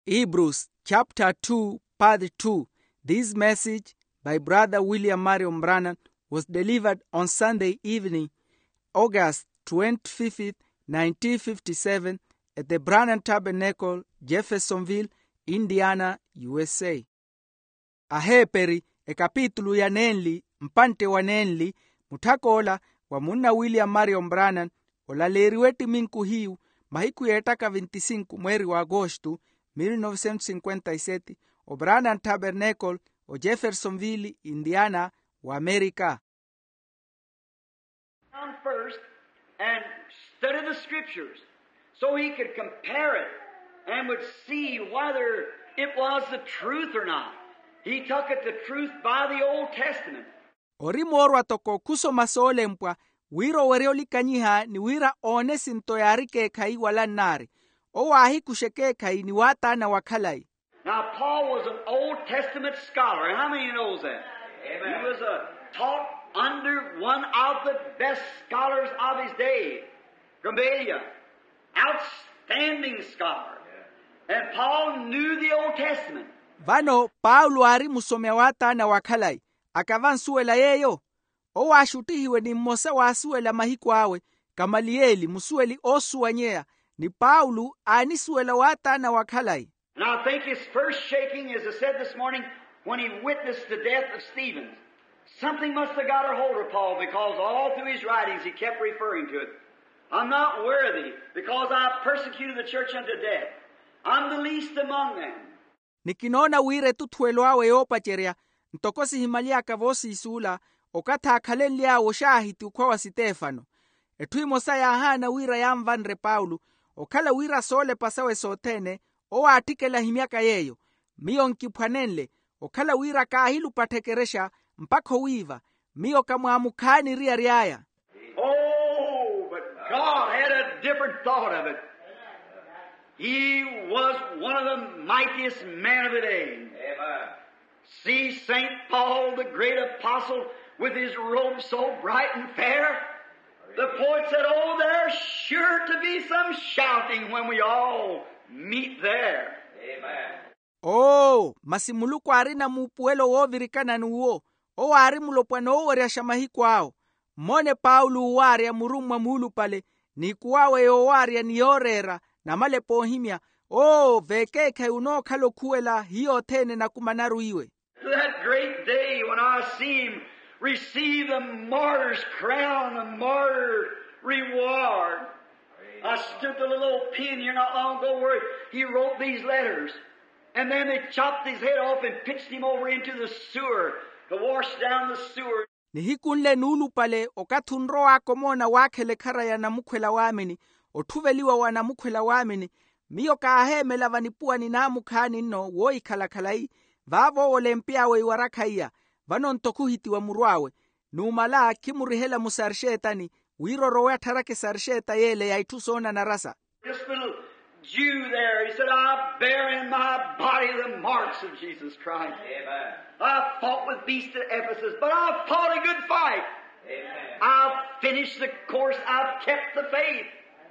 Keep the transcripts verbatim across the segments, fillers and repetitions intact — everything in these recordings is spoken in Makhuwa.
Hebrews chapter two, part two. This message by Brother William Marion Branham was delivered on Sunday evening, August twenty-fifth, nineteen fifty-seven, at the Branham Tabernacle, Jeffersonville, Indiana, U S A. Aheeperi, ekapitulu ya nenli, mpantte wa nenli. Mutthak'ola wa munna William Marion Branham olaleeriwe ettiminku hiyu, mahiku yeettaka vinti-sinku mweeri wa agosto, mil novecentos cinquenta y sete, o Branham Tabernacle, o Jeffersonville, Indiana, wa Amerika. Come first and study the scriptures so he could compare it and would see whether it was the truth or not. He took it the truth by the Old Testament. Ori moorwa toko khusoma soolempwa, wira owerye olikanyiha ni wira oone esinto yaari ekeekhayi wala nnaari. Owo aahikuxa ekeekhayi ni waataana wa khalayi. Now, Paul was an Old Testament scholar. How many knows that? Amen. He was a, taught under one of the best scholars of his day, Gamaliel. Outstanding scholar. And Paul knew the Old Testament. Vano, Paulo aari musomi a waataana wa khalayi. Akava ansuwela yeeyo? Owo aaxuttihiwe ni mmosa waasuwela mahiku awe, Kamaliyeli, musuweli oosuwanyeya, ni Paulo aanisuwela waataana wa khalayi. And I think his first shaking, as I said this morning, when he witnessed the death of Stephen. Something must have got a hold of Paul, because all through his writings he kept referring to it. I'm not worthy, because I persecuted the church unto death. I'm the least among them. Ni kinoona wira etutthuwelo awe yoopacerya, ntoko sihimaly'aka voosiisuula, okathi aakhalenly'awe oxaahiti okhwa wa sitefano. Etthu emosa yaahaana wira yanvanre paulo, okhala wira soolepa sawe sothene, owo aatthikela ahimyaka yeeyo. Miyo nkiphwanenle, okhala wira kaahilupa tthekerexa, mpakha owiiva, miyo kamwaamukhaani eriyari aya. Oh, but God had a different thought of it. He was one of the mightiest men of the day. Amen. See Saint Paul, the great apostle, with his robe so bright and fair. The poet said, "Oh, there's sure to be some shouting when we all meet there." Amen. Oo, masi muluku aarina muupuwelo woovirikana n'uwo. Owo aari mulopwana ooweryaxa mahiku awo. Mmoone paulo owaarya murummwa muulupale, n'ikuw'awe yoowaarya ni yooreera, namalepa oohimya. Oo, vekeekhayi onookhala okhuwela hiyo othene enakumanaru iwe. That great day when I see him receive the martyr's crown, the martyr reward. I stood the little old pen here not long ago where he wrote these letters. And then they chopped his head off and pitched him over into the sewer to wash down the sewer. Nihiku nle nuulupale okathi onrow'aka omoona waakhela ekhara ya namukhwela waamini, otthuveliwa wa namukhwela waamini, miyo kaaheemela vanipuwani naamukhaani nno woohikhala khalayi. Vaavo owo olempy'awe iwarakha iya. Vano nto khuhitiwa muru awe. Numala khimurihela musarxeetani, wira orowe attharaka esarxeeta y'ele ya itthu soonanarasa. This little Jew there, he said, "I bear in my body the marks of Jesus Christ. Amen. I fought with beasts at Ephesus, but I fought a good fight. Amen. I've finished the course, I've kept the faith."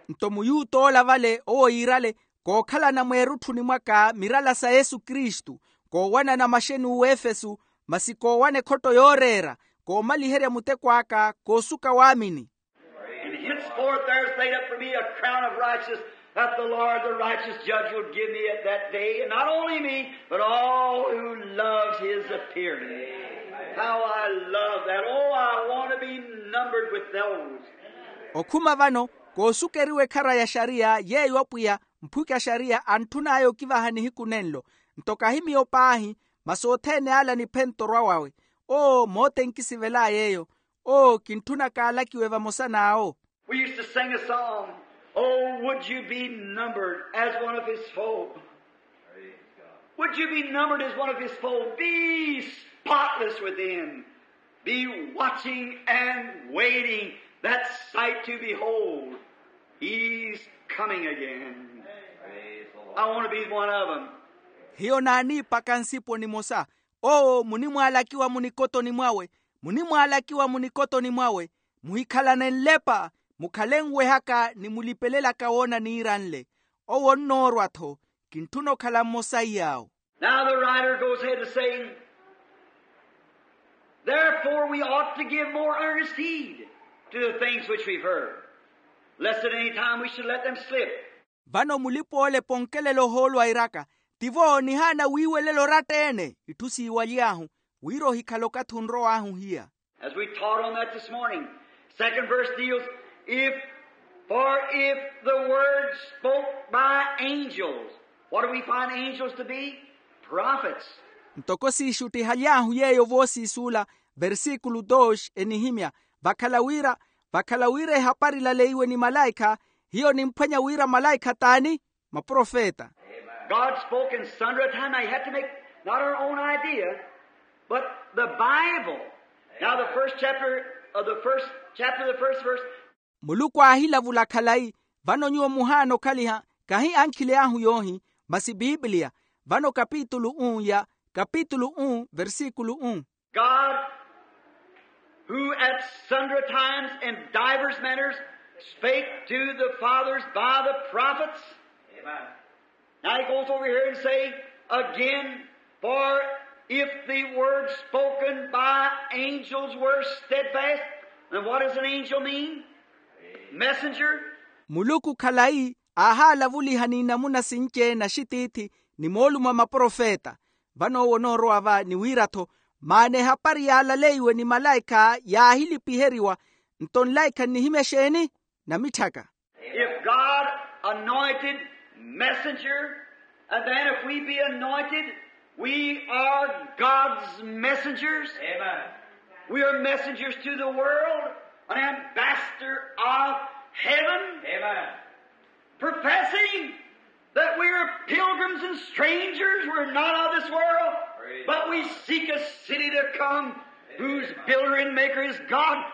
Nto muyuta ola vale owo yiirale, kookhalana mweerutthuni mwaka mirala sa yesu kristu, koowanana maxeni uwefesu, masi koowana ekhotto yooreera, koomaliherya muteko aka koosuka waamini. And henceforth there is laid up for me a crown of righteousness, that the Lord, the righteous judge, will give me at that day, and not only me, but all who loves his appearing. How I love that. Oh, I want to be numbered with those. Okhuma vano, koosukeriwa ekhara ya xariya yeeyo apwiya, mphuki a xariya antthun'aya okivaha nihiku nenlo. Nto kahi miyo paahi, masi othene ala niphenta orwa wawe. Oo, mote nkisivel'aya eyo. Oo, kintthuna kaalakiwe vamosa n'awo. We used to sing a song, "Oh, would you be numbered as one of his folk? Would you be numbered as one of his folk? Be spotless within. Be watching and waiting that sight to behold. He's coming again." I want to be one of them. Hiyo naaniipaka nsipo nimosa. Owo munimwaalakiwa munikotoni mwawe, munimwaalakiwa munikotoni mwawe. Muhikhalane nlepa, mukhale nwehaka ni mulipelelaka woona niiranle. Owo onnoorwa-tho. Kintthuna okhala mmosa iy'awo. Now the writer goes ahead to say, therefore we ought to give more earnest heed to the things which we've heard, lest at any time we should let them slip. Vano mulipa-ole ponkelela ohoolo airaka, tivo nihaana wiiwelela oratta-ene itthu siiwaly'ahu, wira ohikhala okathi onrow'ahu hiya. As we taught on that this morning, second verse deals, if, for if the word spoke by angels, what do we find angels to be? Prophets. Ntoko siixuttihaly'ahu yeeyo voosiisuula, versikulu dos enihimya, vakhala wira vakhala wira ehapari ilaleiwe ni malaikha, hiyo nimphwanya wira malaikha t'ani? Maprofeta. God spoke in sundry times. Now you have to make not our own idea, but the Bible. Now the first chapter of the first chapter, the first verse. Muluku aahilavula khalayi. Vano nyuwo muhaana okhaliha, kahi ankhili ahu yoohi, masi pipiliya. Vano kapitulu un ya, kapitulu un versikulu un. God, who at sundry times and divers manners spake to the fathers by the prophets. Amen. Now he goes over here and say again, for if the word spoken by angels were steadfast, then what does an angel mean? Messenger. Muluku khalayi aahalavuliha ni namuna sinci-ene axitiithi ni moolumo a maprofeta. Vano owo onoorowa va ni wira-tho, maana ehapari yaalaleiwe ni malaikha yaahilipiheriwa. Nto nlaikha nnihimya exeeni? Namitthaka. If God anointed messenger, and then if we be anointed, we are God's messengers. Amen. We are messengers to the world, an ambassador of heaven. Amen. Professing that we are pilgrims and strangers, we're not of this world, but we seek a city to come, whose builder and maker is God.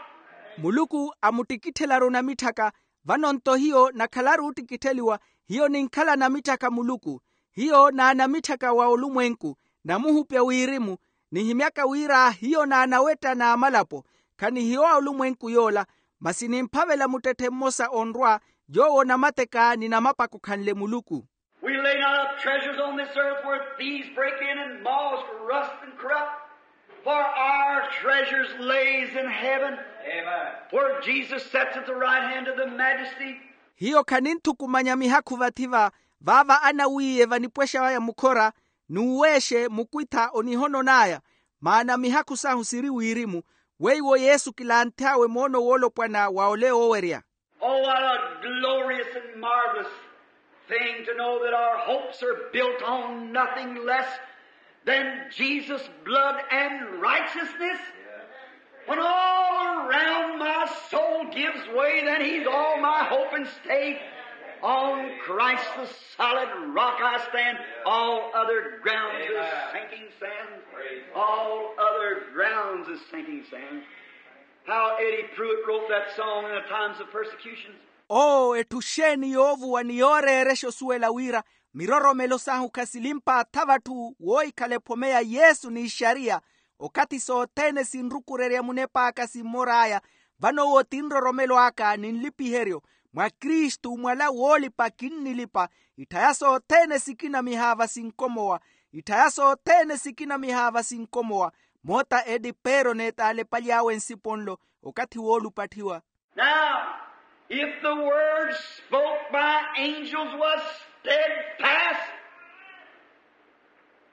Muluku amuttikitthelaru namitthaka. Vano nto hiyo nakhalaru ottikittheliwa, hiyo ninkhala namitthaka a muluku, hiyo naanamitthaka wa olumwenku, namuhupya wirimu, nihimyaka wira hiyo naanawetta n'amalapo. Khanihiyo a olumwenku yoola, masi nimphavela muttetthe mmosa onrwa, yoowo namateka ni namapakho khanle muluku. We lay not up treasures on this earth where thieves break in and moths rust and corrupt, for our treasures lays in heaven, where Jesus sits at the right hand of the majesty. Hiyo khaninthukumanya mihakhu vathi va, vaava anawiiye vanipwexa aya mukhora, n'uweexe mukwitha onihonon'aya, maana mihakhu sahu siri wirimu, weiwo yesu kilanthy'awe moono woolopwana wa ole oowerya. Oh, what a glorious and marvelous thing to know that our hopes are built on nothing less than Jesus' blood and righteousness. When all around my soul gives way, then he's all my hope and stay. On Christ the solid rock I stand. All other grounds is sinking sand. All other grounds is sinking sand. How Eddie Pruitt wrote that song in the times of persecutions. Oo, etthu xeeni yoovuwa ni yooreerexa osuwela wira miroromelo sahu khasilimpa atha vatthu woohikhala ephome ya yesu n'ixariya, okathi sothene sinrukurerya munep'aka simmor'aya. Vano owo ti nroromelo aka ni nlipiheryo, mwa kristu mwala woolipa kinnilipa. Itthaya sothene sikinamihaava sinkomowa. Itthaya sothene sikinamihaava sinkomowa. Moota edi peero n'etaalepaly'awe nsipo nlo, okathi woolupatthiwa. Now, if the word spoke by angels was steadfast,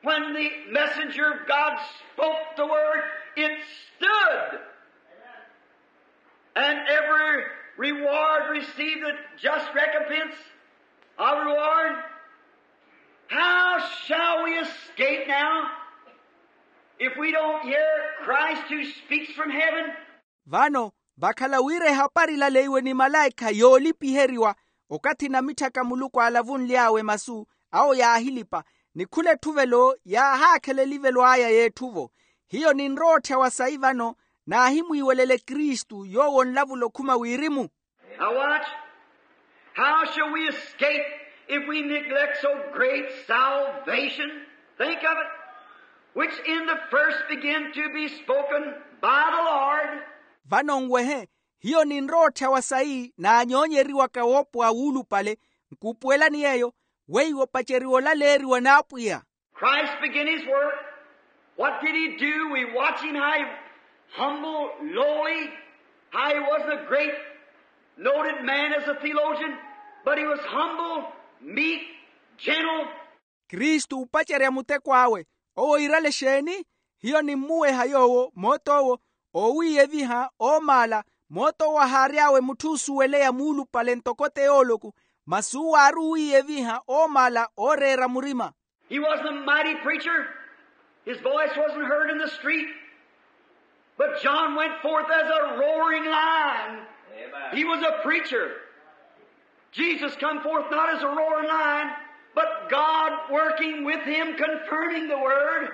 when the messenger of God spoke the word, it stood. And every reward received a just recompense of reward. How shall we escape now if we don't hear Christ who speaks from heaven? Vano, vakhala wira ehapari ilaleiwe ni malaikha yoolipiheriwa, okathi namitthaka muluku aalavunly'awe masu awo yaahilipa, ni khula etthuvelo yaahaakhala elivelw'aya y'etthuvo. Hiyo ninrowa otthya wa sayi vano, naahimwiiwelele kristu yoowo onlavula okhuma wirimu. Now watch. How shall we escape if we neglect so great salvation? Think of it. Which in the first began to be spoken by the Lord. Vano nwehe, hiyo ninrowa otthya wa sayi naanyoonyeriwaka woopowa wuulupale, nkuupuwelani yeeyo. weiwo opaceriwa olaleeriwa n'apwiya. Christ began his work. What did he do? We watch him how he humble, lowly, how he wasn't a great noted man as a theologian, but he was humble, meek, gentle. Kristu opacerya muteko awe. Owo iirale exeeni? Hiyo nimmuweha yoowo moot'owo oowiiyeviha oomaala. Moot'owo ahaary'awe mutthu oosuweleya muulupale ntoko teyooloku, masi uwo aari owiiyeviha oomaala ooreera murima. He wasn't a mighty preacher. His voice wasn't heard in the street. But John went forth as a roaring lion. Amen. He was a preacher. Jesus come forth not as a roaring lion, but God working with him, confirming the word.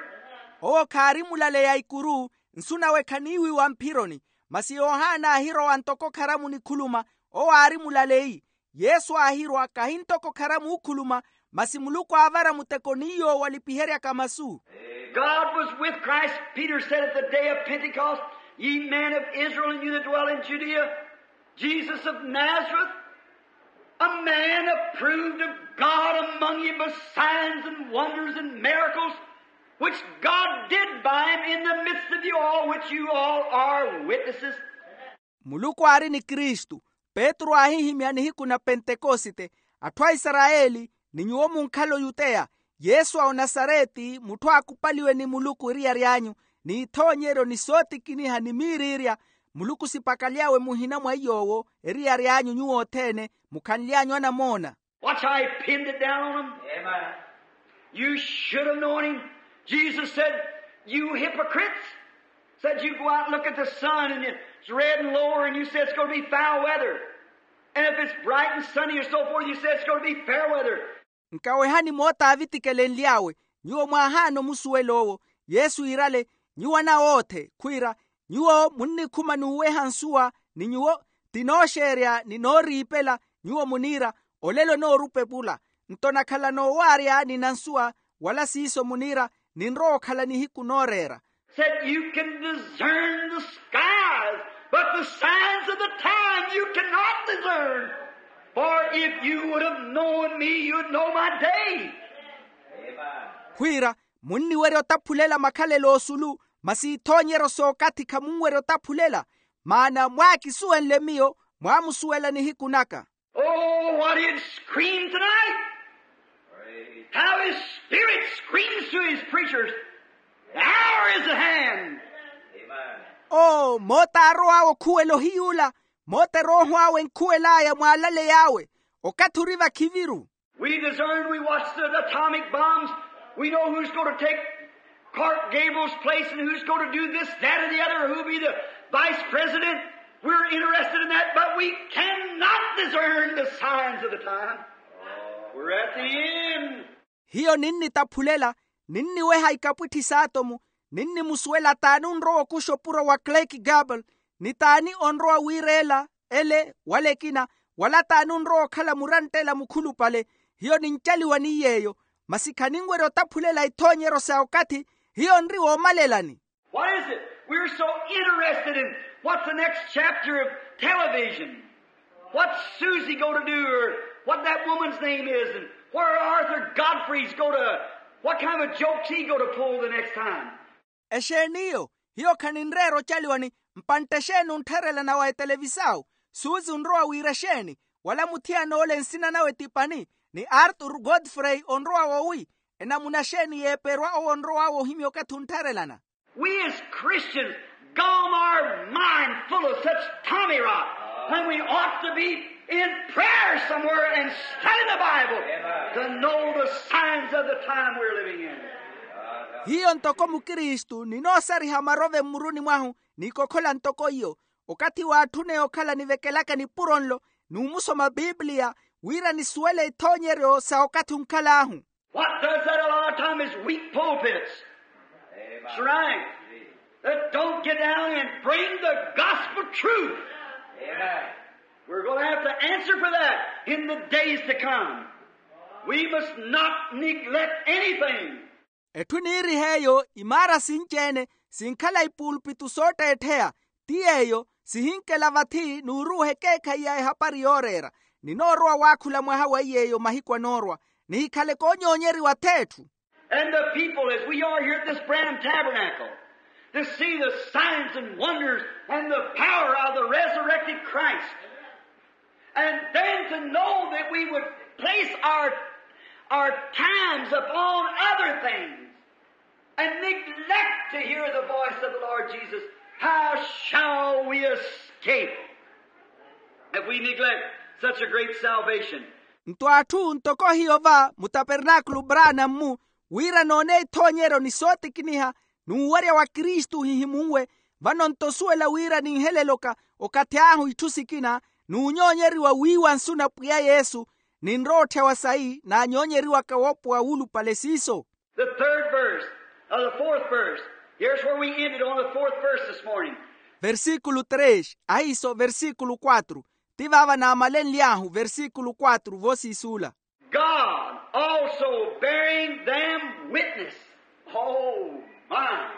Owo khaari mulaleya ikuru, nsu nawe khaniiwiwa mphironi. Masi yohana aahirowa ntoko kharamu nikhuluma. Owo aari mulaleyi. Yesu aahirwa kahi ntoko kharamu okhuluma, masi muluku aavara muteko ni yoowo alipiheryaka masu. God was with Christ. Peter said at the day of Pentecost, ye men of Israel, and you that dwell in Judea, Jesus of Nazareth, a man approved of God among you by signs and wonders and miracles, which God did by him in the midst of you all, which you all are witnesses. Muluku aari ni kristu. Petru aahihimya nihiku na pentekosite. Atthu a isarayeli, ni nyuwo munkhala oyuteya, yesu a onasareti mutthu aakupaliwe ni muluku eriyari anyu, n'ithoonyeryo ni sootikiniha ni miiriirya. Muluku sipakaly'awe muhina mwa iy'owo eriyari anyu nyuwo othene mukhanly'anyu anamoona. Watch how he pinned it down on them. Amen. You should have known him. Jesus said, you hypocrites, said you go out and look at the sun and it's red and lower and you say it's going to be foul weather. And if it's bright and sunny or so forth, you say it's going to be fair weather. Nkawehani moota aavitikelenly'awe. Nyuwo mwaahaana omusuwela owo. Yesu iirale, nyuwo anawoothe khwiira, nyuwo munnikhuma n'uweha nsuwa, ni nyuwo ti nooxeerya ni nooriipela. Nyuwo muniira, olelo noorupa epula. Nto nakhala noowaarya ni nansuwa, wala siiso muniira, ninrowa okhala nihiku nooreera. Said you can discern the skies, but the signs of the time you cannot discern. For if you would have known me, you'd know my day. Khwiira, munniwerya otaphulela makhalelo osulu, masi ithoonyeryo sookathi khamunwerya otaphulela. Maana mwaakisuwenle miyo, mwaamusuwela nihiku naka. Oh, what he'd scream tonight. How his spirit screams to his preachers. The hour is at hand. Oo moota aarow'awe okhuwela ohiyuula. Moota erooho awe enkhuwel'aya mwaalaley'awe. Okathi ori vakhiviru. We discern, we watch the atomic bombs. We know who's going to take Clark Gable's place and who's going to do this, that, or the other, or who'll be the vice president. We're interested in that, but we cannot discern the signs of the time. We're at the end. Hiyo ninnitaphulela, ninniweha ikapwitthi s'atomu, ninnimusuwela t'ani onrowa okuxa opuro wa clark gable, ni t'ani onrowa wiireela ele wala ekina, wala t'ani onrowa okhala muranttela mukhulupale. Hiyo nincaliwa ni yeeyo, masi khaninwerya otaphulela ithoonyeryo sa okathi. Hiyo nri woomalelani. What is it? We're so interested in what's the next chapter of television. What's Susie going to do, or what that woman's name is, and where Arthur Godfrey's going to, what kind of a joke's he going to pull the next time? Exeeni iyo? Hiyo khaninreera ocaliwani. Mpantte exeeni onttharelana wa etelevisau? Susi onrowa wiira exeeni? Wala muthiyan'ole nsina nawe ti pani? Ni arthur godfrey onrowa wowi? Enamuna exeeni yeeperwa owo onrow'awe ohimya okathi onttharelana? We as Christians gone our mind full of such tommy rot when we ought to be in prayer somewhere and studying the Bible to know the signs of the time we're living in. Hiyo ntoko mukristu ninoosariha marove mmuruni mwahu, n'ikokhola ntoko iyo. Okathi waatthuneya okhala nivekelaka nipuro nlo, n'umusoma pipiliya, wira nisuwele ithoonyeryo sa okathi onkhal'ahu. What does that a lot of time is weak pulpits. That's right. That don't get down and bring the gospel truth. We're going to have to answer for that in the days to come. We must not neglect anything. Etthu eniiriha eyo imaara sinci-ene sinkhala ipuulpitu sootteettheya. Ti yeeyo sihinkela vathi n'uruuha ekeekhayi ya ehapari yooreera. Ninoorowa waakhula mwaha wa iy'eyo mahiku anoorwa. nihikhale koonyoonyeriwa atheetthu. And the people, as we are here at this Branham Tabernacle, to see the signs and wonders and the power of the resurrected Christ. And then to know that we would place our, our times upon other things and neglect to hear the voice of the Lord Jesus, how shall we escape if we neglect such a great salvation? Nto atthu ntoko hiyo va mutapernaakulu branammu, wira noone ithoonyeryo ni sootikiniha n'uwarya wa kristu hihimunwe. Vano nto osuwela wira ninheleloka okathi ahu itthu sikina n'unyoonyeriwa wiiwa nsu na pwiya yesu, ninrowa otthyawa sayi naanyoonyeriwaka woopowa wuulupale siiso. The third verse, or the fourth verse. Here's where we ended on the fourth verse this morning. Versikulu tres ahiiso versikulu quatro. Ti vaava naamalenly'ahu versikulu quatro voosiisuula. God also bearing them witness. Oh my.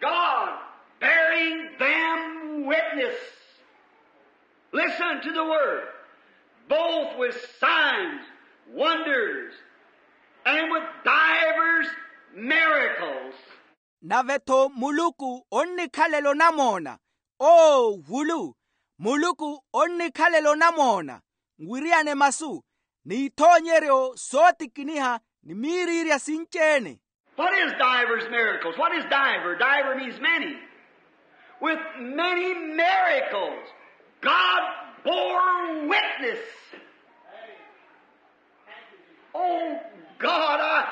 God bearing them witness. Listen to the word. Both with signs, wonders, and with divers miracles. Nave-tho muluku onnikhalela onamoona. Oo vulu, muluku onnikhalela onamoona nwiriyane masu n'ithoonyeryo sootikiniha ni miiriirya sinci-ene. What is divers miracles? What is diver? Diver means many. With many miracles, God bore witness. Oh God, I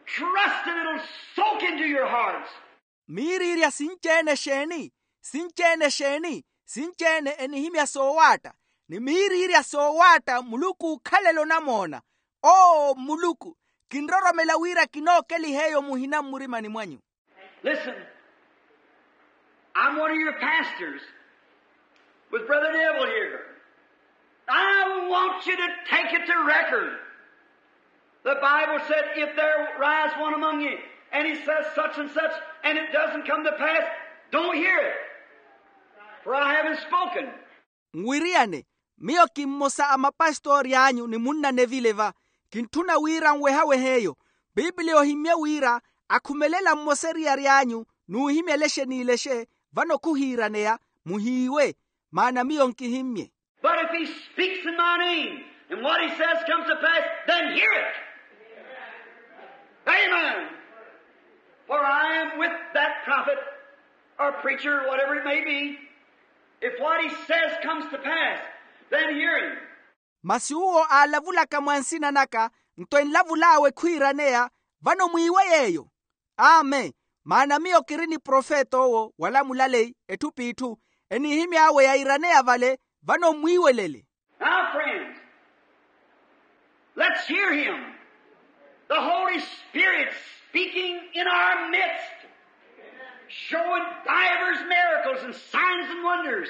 trust that it'll soak into your hearts. Miiriirya sinci-ene exeeni? Sinci-ene exeeni? Sinci-ene enihimya soowaatta. Ni miiriirya soowaatta muluku ookhalela onamoona. Oo muluku, kinroromela wira kinookeliha eyo muhina mmurimani mwanyu. Listen, I'm one of your pastors with Brother Neville here. I want you to take it to record. The Bible said, if there rise one among you and he says such and such and it doesn't come to pass, don't hear it, for I haven't spoken. Nwiriyane, miyo kimmosa a mapastori anyu ni munna nevile va. Kintthuna wira nwehawehe eyo. Pipiliya ohimmye wira akhumelela mmosa eriyari anyu n'uhimyela exeniilexe, vano khuhiiraneya. Muhiiwe, maana miyo nkihimmye. But if he speaks in my name and what he says comes to pass, then hear it. Amen. For I am with that prophet or preacher, whatever it may be. If what he says comes to pass, then hear him. Masi uwo aalavulaka mwa nsina naka nto enlavul'awe khwiiraneya, vano mwiiwe yeeyo. Amen. Maana miyo kiri ni profeta owo wala mulaleyi etthu p'itthu, enihimy'awe yairaneya vale, vano mmwiiwelele. Now friends, let's hear him. The Holy Spirit speaking in our midst, showing divers miracles and signs and wonders.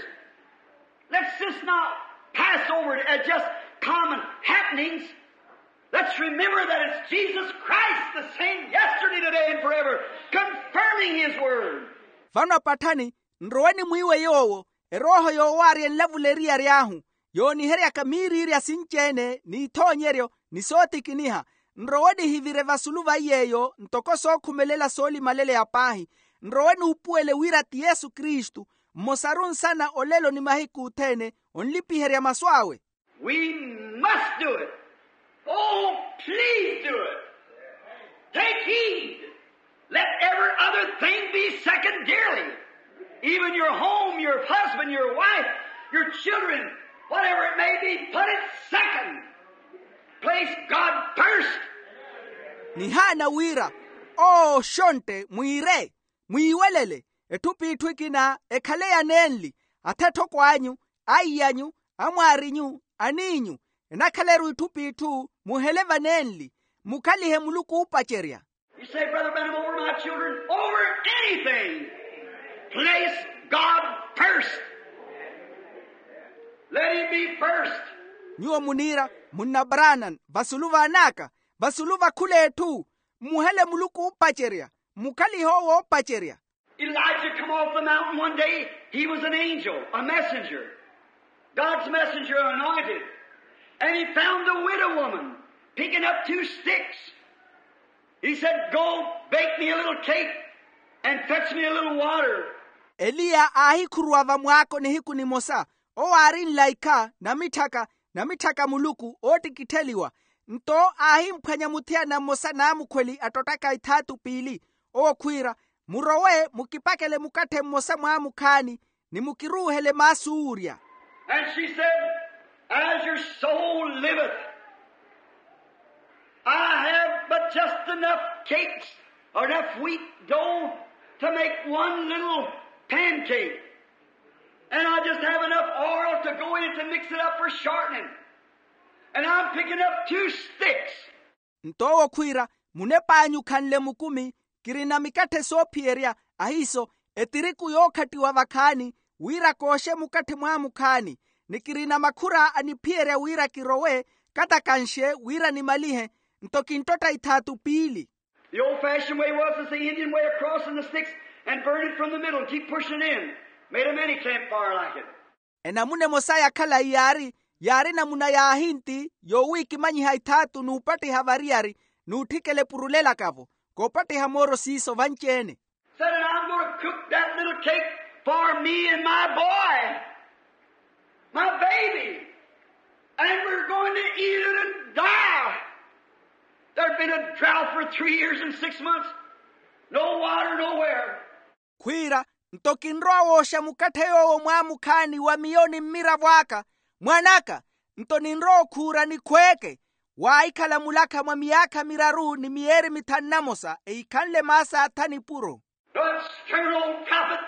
Let's just not pass over it as just common happenings. Let's remember that it's Jesus Christ, the same yesterday, today, and forever, confirming his word. Vano apatthani, nrowe nimwiiwe yoowo, erooho yoowaarya enlavula eriyari ahu, yooniheryaka miiriirya sinci-ene n'ithoonyeryo ni sootikiniha. Nrowe nihivire vasulu va iy'eyo ntoko sookhumelela soolimaleleya paahi. Nrowe nuupuwele wira ti yesu kristu, mmosaru nsana olelo ni mahiku othene, onlipiherya masu awe. We must do it. Oh, please do it. Take heed. Let every other thing be secondarily. Even your home, your husband, your wife, your children, whatever it may be, put it second. Place God first. Nihaana wira, oo xontte mwiire, mwiiwelele. Etthu p'itthu ekina ekhale ya nenli, athetthoko anyu, aiy'anyu, amwaarinyu, aniinyu, enakhaleru itthu p'itthu muhele vanenli. Mukhalihe muluku oopacerya. You say, Brother Branham, over my children, over anything, place God first. Let him be first. Nyuwo muniira, munna branan, vasulu vaan'aka, vasulu va khul'etthu, mmuhele muluku oopacerya. Mukhalihe owo oopacerya. Elijah come off the mountain one day. He was an angel, a messenger, God's messenger anointed. And he found a widow woman. Picking up two sticks. He said, "Go bake me a little cake and fetch me a little water." Eliya aahikhuruwa vamwaako nihiku nimosa. Owo aari nlaikha namitthaka namitthaka muluku oottikittheliwa. Nto aahimphwanya muthiyana mmosa naamukhweli attottaka ithaatu piili. Owo khwiira, murowe mukipakele mukatthe mmosa mwaamukhaani ni mukiruuhele maasi oorya. And she said, "As your soul liveth, I have but just enough cakes or enough wheat dough to make one little pancake. And I just have enough oil to go in to mix it up for shortening. And I'm picking up two sticks." Nto owo khwiira, munep'anyu khanle mukumi, kirina mikatthe soophiyerya, ahiiso etiriku yookhattiwa vakhaani, wira kooxe mukatthe mwaamukhaani, ni kirina makhura a niphiyerya wira kirowe, kata kanxe wira nimalihe. Nto kinttotta ithaatu piili. The old-fashioned way was, as the Indian way, of crossing the sticks and burn it from the middle and keep pushing it in. Made a mini campfire like it. Enamuna emosa ya khalayi yaari, yaari namuna ya ahinti yoowiikimanyiha ithaatu n'upattiha variyari, n'utthikela epurulelaka-vo, koopattiha mooro siiso vanci-ene. Said, "And I'm going to cook that little cake for me and my boy, my baby. And we're going to eat it and die." There'd been a drought for three years and six months. No water nowhere. Khwiira, nto kinrowa wooxa mukatthe yoowo mwaamukhaani wa miyo ni mmiravo aka, mwan'aka. Nto ninrowa okhuura nikhweeke. Waahikhala mulakha mwa miyaakha miraru ni miyeeri mithanu na mosa, ehikhanle maasi a tha nipuro. The stern old prophet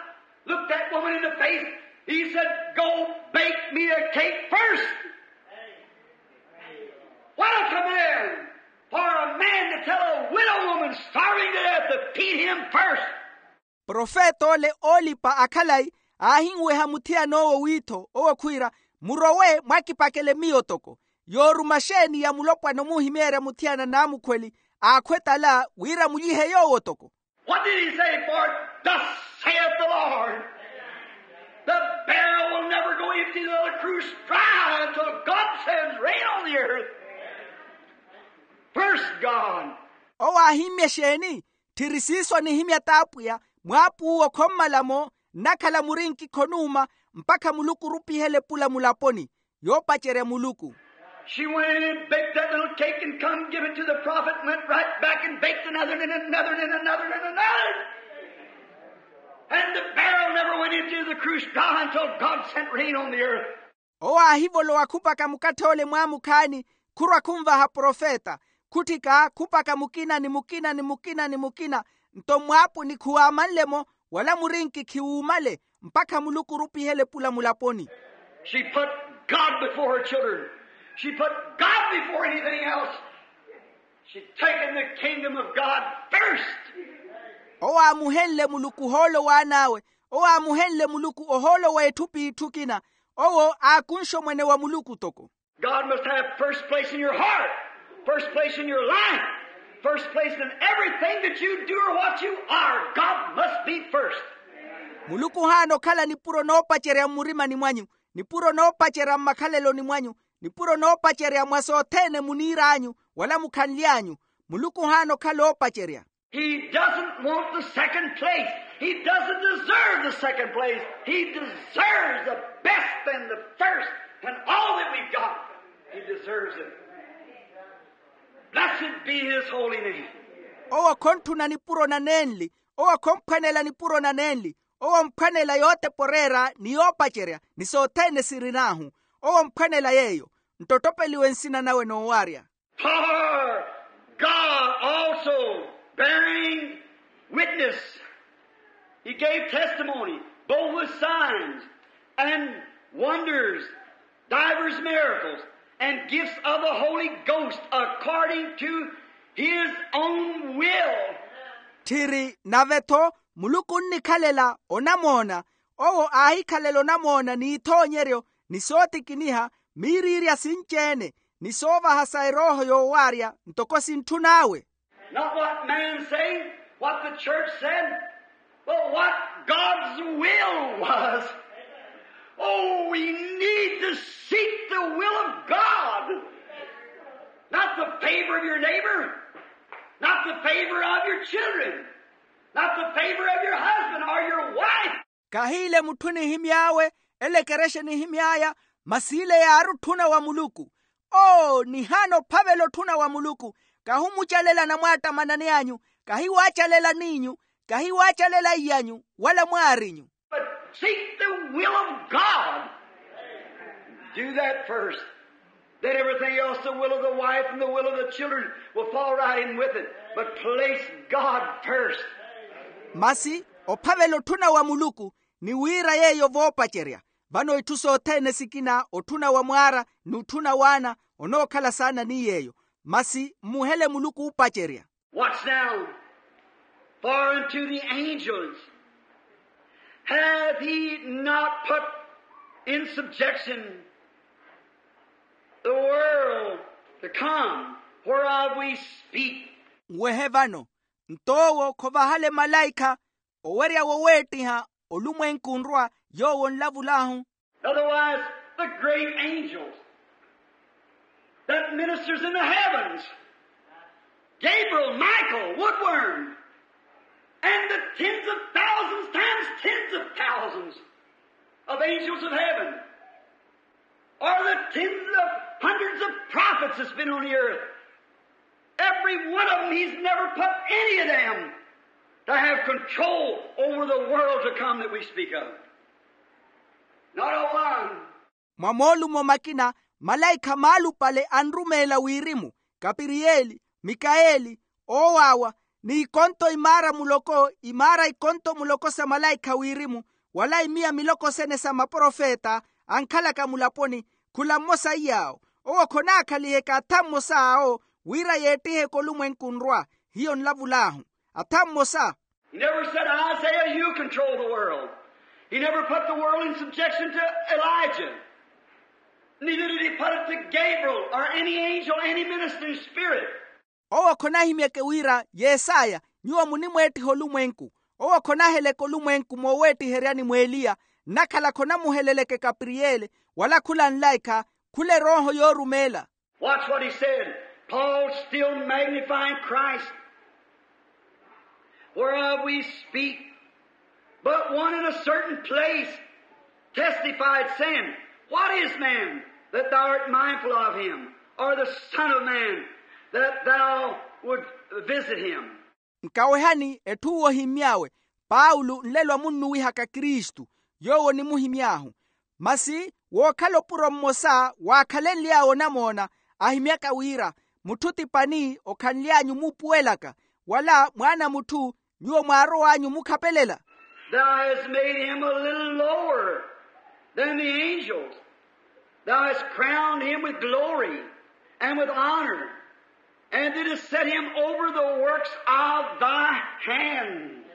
looked that woman in the face. He said, "Go bake me a cake first. What a command for a man to tell a widow woman starving to death to feed him first." Profeta ole oolipa akhalayi aahinweha muthiyana owo wiitho, owo khwiira, murowe mwakipakele miyo toko. Yooruma xeeni ya mulopwana omuhimeerya muthiyana naamukhweli aakhwetala wira mulyihe yoowo toko? What did he say? "For thus saith the Lord, the barrel will never go empty, nor the cruse dry, until God sends rain on the earth." First God. Owo aahimmya exeeni? Tthiri siiso anihimya t'apwiya, mwaap'uwo khommala-mo, nnakhala murinki khonuuma, mpakha muluku orupihela epula mulaponi. Yoopacerya muluku. She went in and baked that little cake and come give it to the prophet, went right back and baked another and another and another and another. And the barrel never went into the cruse dry until God sent rain on the earth. Owo aahivolowa khupaka mukatthe ole mwaamukhaani, khurwa khunvaha profeta, khutthika khupaka mukina ni mukina ni mukina ni mukina. Nto mwaapuni khuwaamanle-mo, wala murinki khiwuumale, mpakha muluku orupihela epula mulaponi. She put God before her children. She put God before anything else. She'd taken the kingdom of God first. Owo aamuhenle muluku ohoolo w'an'awe. Owo aamuhenle muluku ohoolo w'etthu p'itthu kina. Owo aakunxe omwene wa muluku toko. God must have first place in your heart, first place in your life, first place in everything that you do or what you are. God must be first. Muluku ohaana okhala nipuro noopacerya mmurimani mwanyu, nipuro noopacerya mmakhaleloni mwanyu, nipuro noopacerya mwa sothene muniir'anyu, wala mukhanly'anyu. Muluku ohaana okhala oopacerya. He doesn't want the second place. He doesn't deserve the second place. He deserves the best and the first and all that we've got. He deserves it. Blessed be his holy name. Owo khontthuna nipuro na nenli. Owo khomphwanela nipuro na nenli. Owo omphwanela yooteporeera ni yoopacerya ni sothene sirin'ahu. Owo omphwanela yeeyo. Nto ottopeliwe nsina nawe noowarya. For God also bearing witness, he gave testimony, both with signs and wonders, divers miracles, and gifts of the Holy Ghost according to his own will. Tthiri nave-tho muluku onnikhalela onamoona. Owo aahikhalela onamoona n'ithoonyeryo ni sootikiniha miiriirya sinci-ene ni soovaha sa erooho yoowarya ntoko sintthun'awe. Not what man say, what the church said, but what God's will was. Oh, we need to seek the will of God. Not the favor of your neighbor, not the favor of your children, not the favor of your husband or your wife. Kahiile mutthu nihimy'awe, ele ekerexa nihimy'aya, masi ile yaari otthuna wa muluku. Oo nihaana ophavela otthuna wa muluku. Kahimucalela anamwaattamanani anyu, kahiwaacalela n'inyu, kahiwaacalela iy'anyu wala mwaarinyu. But seek the will of God. Do that first. Then everything else, the will of the wife and the will of the children, will fall right in with it. But place God first. Masi ophavela otthuna wa muluku, ni wira yeeyo voopacerya. Vano itthu sothene sikina otthuna wa mwaara, ni otthuna w'ana, onookhala saana ni yeeyo. Masi mmuhele muluku oopacerya. Watch now. For unto the angels hath he not put in subjection the world to come, whereof we speak. Nwehe vano, nto owo khovahale malaikha owerya woweettiha olumwenku onrwa, yoowo nlavul'ahu. Otherwise, the great angels that ministers in the heavens, Gabriel, Michael, Woodworm, and the tens of thousands times tens of thousands of angels of heaven, or the tens of hundreds of prophets that's been on the earth, every one of them, he's never put any of them to have control over the world to come that we speak of. Not a one. Mwa moolumo makina, malaikha maalupale anrumeela wirimu, kapiriyeli, mikaeli, oowaawa, ni ikonto imaara muloko, imaara ikonto muloko sa malaikha wirimu, wala imiya miloko sene sa maprofeta ankhalaka mulaponi, khula mmosa iy'awo. Owo khonaakhalihe khatha mmosa awo, wira yeettiheke olumwenku onrwa. Hiyo nlavul'ahu. Atha mmosa. He never said, "Isaiah, you control the world." He never put the world in subjection to Elijah. Neither did he put it to Gabriel or any angel, any ministering spirit. Owo khonahimyeke wira, Yesaya, nyuwo munimweettiha olumwenku. Owo khonaheleke olumwenku mooweettiheryani mw'Eliya, nnakhala khonamuheleleke Kapiriyeli, wala khula nlaikha, khula erooho yoorumeela. Watch what he said. Paul still magnifying Christ, whereof we speak. But one in a certain place testified, saying, "What is man that thou art mindful of him, or the son of man that thou would visit him?" Nkawehani etthu owo ohimmy'awe, paulo nlelo amunnuwihaka kristu, yoowo onimuhimy'ahu. Masi wookhala opuro mmosa waakhalenly'awe onamoona, ahimyaka wira, mutthu ti pani okhanly'anyu muupuwelaka, wala mwaana a mutthu nyuwo mwaarow'anyu omukhapelela. Thou hast made him a little lower than the angels. Thou hast crowned him with glory and with honor, and didst set him over the works of thy hands.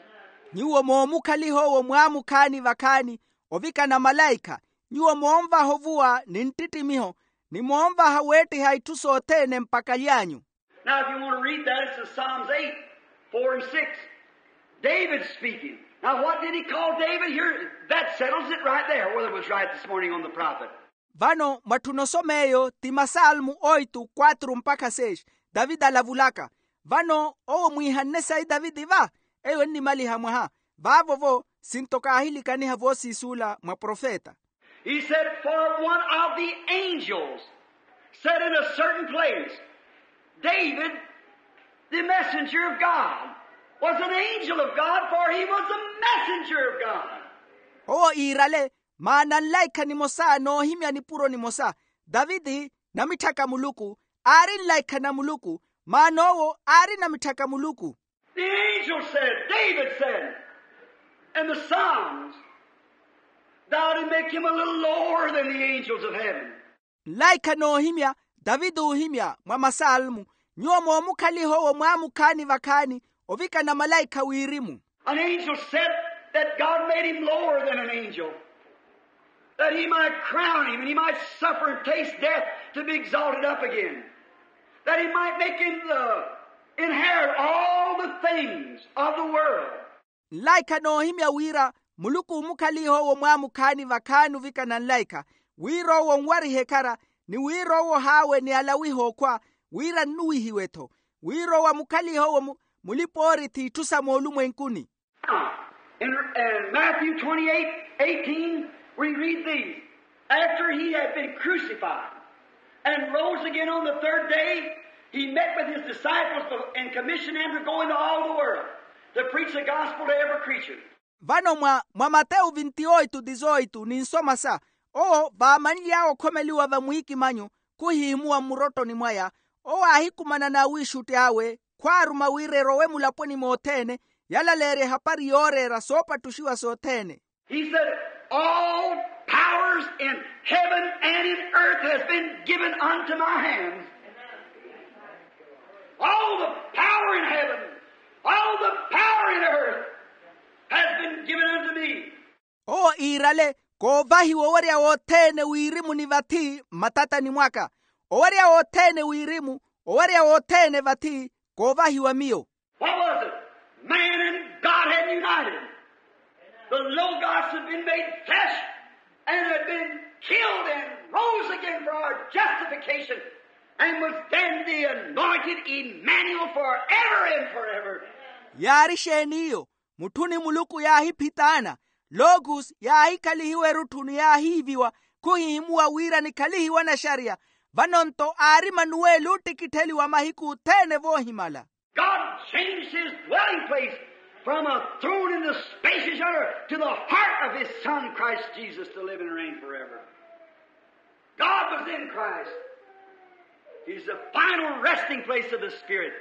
Nyuwo moomukhaliha owo mwaamukhaani vakhaani, ovikana malaikha, nyuwo moonvaha ovuwa ni nttittimiho, ni moonvaha weettiha itthu sothene mpakha aly'anyu. Now, if you want to read that, it's in Psalms eight, four and six. David speaking. Now, what did he call David here? That settles it right there, whether it was right this morning on the prophet. Vano mwatthuna osoma eyo ti masalmu oitu kwatru mpakha seis, davidi alavulaka. Vano owo mwiihanne sayi davidi va? Eyo ennimaliha mwaha. Vaavo-vo sinto kaahilikaniha voosiisuula mwa profeta. He said, "For one of the angels said in a certain place, David, the messenger of God, was an angel of God, for he was a messenger of God." Owo iirale, maana nlaikha nimosa noohimya nipuro nimosa, davidi namitthaka muluku, aari nlaikha na muluku, maana owo aari namitthaka muluku. The angel said, David said, in the Psalms, "Thou did make him a little lower than the angels of heaven." Nlaikha noohimya, davidi oohimya mwa masalmu, nyuwo moomukhaliha owo mwaamukhaani vakhaani, ovikana malaikha wirimu. An angel said that God made him lower than an angel, that he might crown him and he might suffer and taste death to be exalted up again, that he might make him the, inherit all the things of the world. Nlaikha noohimya wira muluku oomukhaliha owo mwaamukhaani vakhaani ovikana nlaikha, wira owo onwarihe ekhara, ni wira owo ohaawe ni alawihe okhwa, wira nnuwihiwe-tho, wira owo amukhalihe owo mulipa-oorithi itthu sa moolumwenkuni. In, in Matthew twenty-eight eighteen, we read these. After he had been crucified and rose again on the third day, he met with his disciples and commissioned them to go into all the world to preach the gospel to every creature. Vano mwa mwa matewu vinti oitu dizoitu ni nsomasa, owo vaamanly'awe okhomeliwa vamwiikimanyu, khuhihimuwa mmurottoni mwaya, owo aahikumana n'awiixutti awe khwaaruma wira erowe mulaponi mothene, yalaleerya ehapari yooreera soopattuxiwa sothene. He said, all powers in heaven and in earth has been given unto my hands. All the power in heaven, all the power in earth has been given unto me. Owo iirale, koovahiwa owerya wothene wirimu ni vathi mmatatani mwaka. Owerya wothene wirimu, owerya wothene vathi, koovahiwa miyo. What was it? Man and God had united. The Logos had been made flesh and had been killed and rose again for our justification and was then the anointed Emmanuel forever and forever. Yaari exeen'iyo? Mutthu ni muluku yaahiphitaana, logus yaahikhalihiwa erutthu ni yaahiiviwa, khuhihimuwa wira nikhalihiwe anaxariya. Vano-nto aari emanuweli oottikittheliwa mahiku othene voohimala. God changed his dwelling place from a throne in the spacious earth to the heart of his Son, Christ Jesus, to live and reign forever. God was in Christ. He's the final resting place of the Spirit.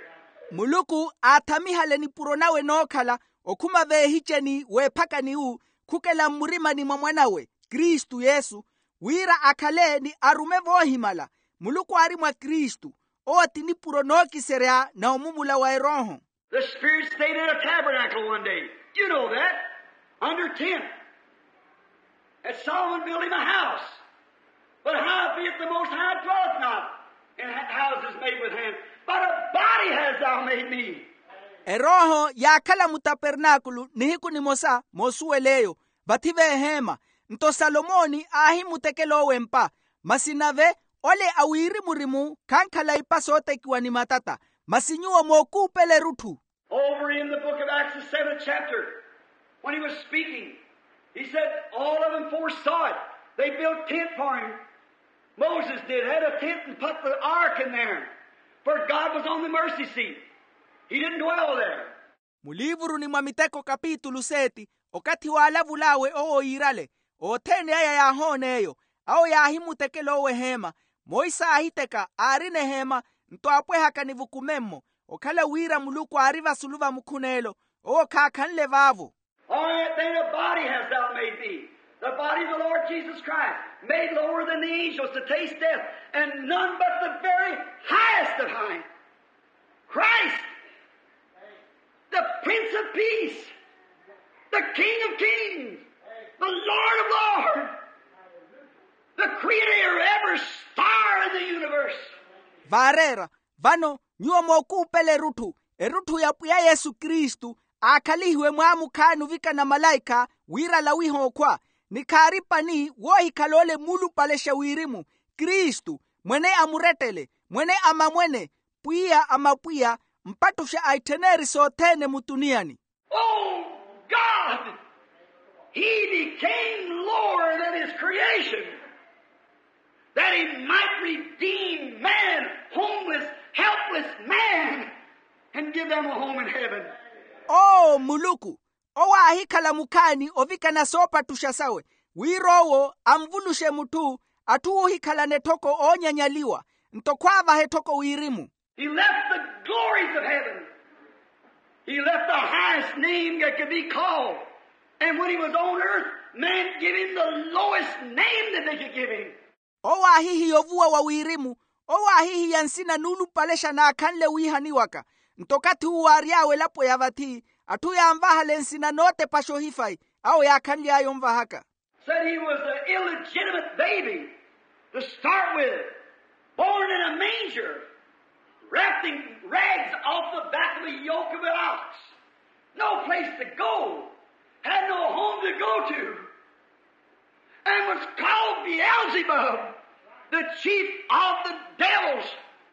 Muluku aathamihala enipuro nawe enookhala okhuma veehiceni weephakani-u, khukela mmurimani mwa mwan'awe kristu yesu, wira akhale ni arume voohimala. Muluku aari mwa kristu, owo ti nipuro nookiserya na omumula wa erooho. The Spirit stayed in a tabernacle one day. You know that. Under tent. And Solomon built him a house. But how be it the Most High dwelleth not in ha- houses made with hands? But a body hast thou made me. Erooho yaakhala mutapernaakulu nihiku nimosa moosuwel'eyo, vathi veeheema. Nto salomoni aahimutekela owo empa. Masi nave ole a wirimu-rimu khankhala ipa sootekiwa ni matata. Masi nyuwo mookuupela erutthu. Over in the book of Acts, the seventh chapter, when he was speaking, he said, all of them foresaw it. They built tent for him. Moses did, had a tent and put the ark in there. For God was on the mercy seat. He didn't dwell there. Muliivuruni mwa miteko kapitulu seeti, okathi waalavul'awe owo iirale, othene aya yaahoon'eyo. Awo yaahimutekela owo eheema. Monse aahiteka aarina eheema, nto aapwehaka nivukumemmo, okhala wira muluku aari vasulu va mukhuneelo, owo khaakhanle vaavo. All right, then a body hast thou made me. The body of the Lord Jesus Christ, made lower than the angels to taste death, and none but the very highest of high. Christ, the Prince of Peace, the King of Kings, the Lord of Lords, the Creator of every star in the universe. Vaareera, vano nyuwo mookuupela erutthu, erutthu ya pwiya yesu kristu, aakhalihiwe mwaamukhaani ovikana malaikha, wira alawihe okhwa, ni khaari pani woohikhala ole muulupalexa wirimu, kristu, mwene a murettele, mwene a mamwene, pwiya a mapwiya, mpattuxa a ittheneri sothene mutuniyani. Oh God, he became lower than his creation, that he might redeem man, homeless, helpless man, and give them a home in heaven. Oo muluku, owo aahikhala mukhaani ovikana soopattuxa sawe, wira owo anvuluxe mutthu, atthu oohikhalana etthoko oonyanyaliwa, nto khwaavaha etthoko wirimu. He left the glories of heaven. He left the highest name that could be called. And when he was on earth, man gave him the lowest name that they could give him. Owo aahihiya ovuwa wa wirimu, owo aahihiya nsina nuulupalexa naakhanle wiihaniwaka. Nto okathi uwo aary'awe elapo ya vathi, atthu yaanvahala ensina nootepaxa ohifayi, awo yaakhanly'aya onvahaka. Said he was an illegitimate baby to start with, born in a manger, wrapped in rags off the back of a yoke of an ox, no place to go, had no home to go to, and was called Beelzebub, the chief of the devils.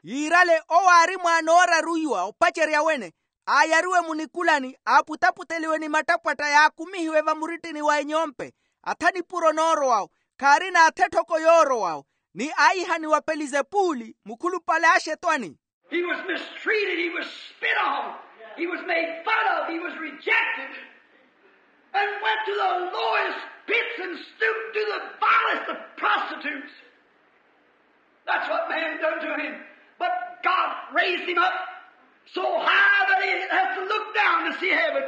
Yiirale owo aari mwaana ooraruiwa opacerya wene, aayariwe munikulani, aaputaputeliwe ni mattapwatta yaakumihiwe vamuritini wa enyompe, atha nipuro noorowawo, khaarina atha etthoko yoorowawo, ni aayihaniwa pelizepuli mukhulupale a axetwani. He was mistreated, he was spit on, he was made fun of, he was rejected, and went to the lowest pits and stooped to the vilest of prostitutes. That's what man done to him. But God raised him up so high that he has to look down to see heaven.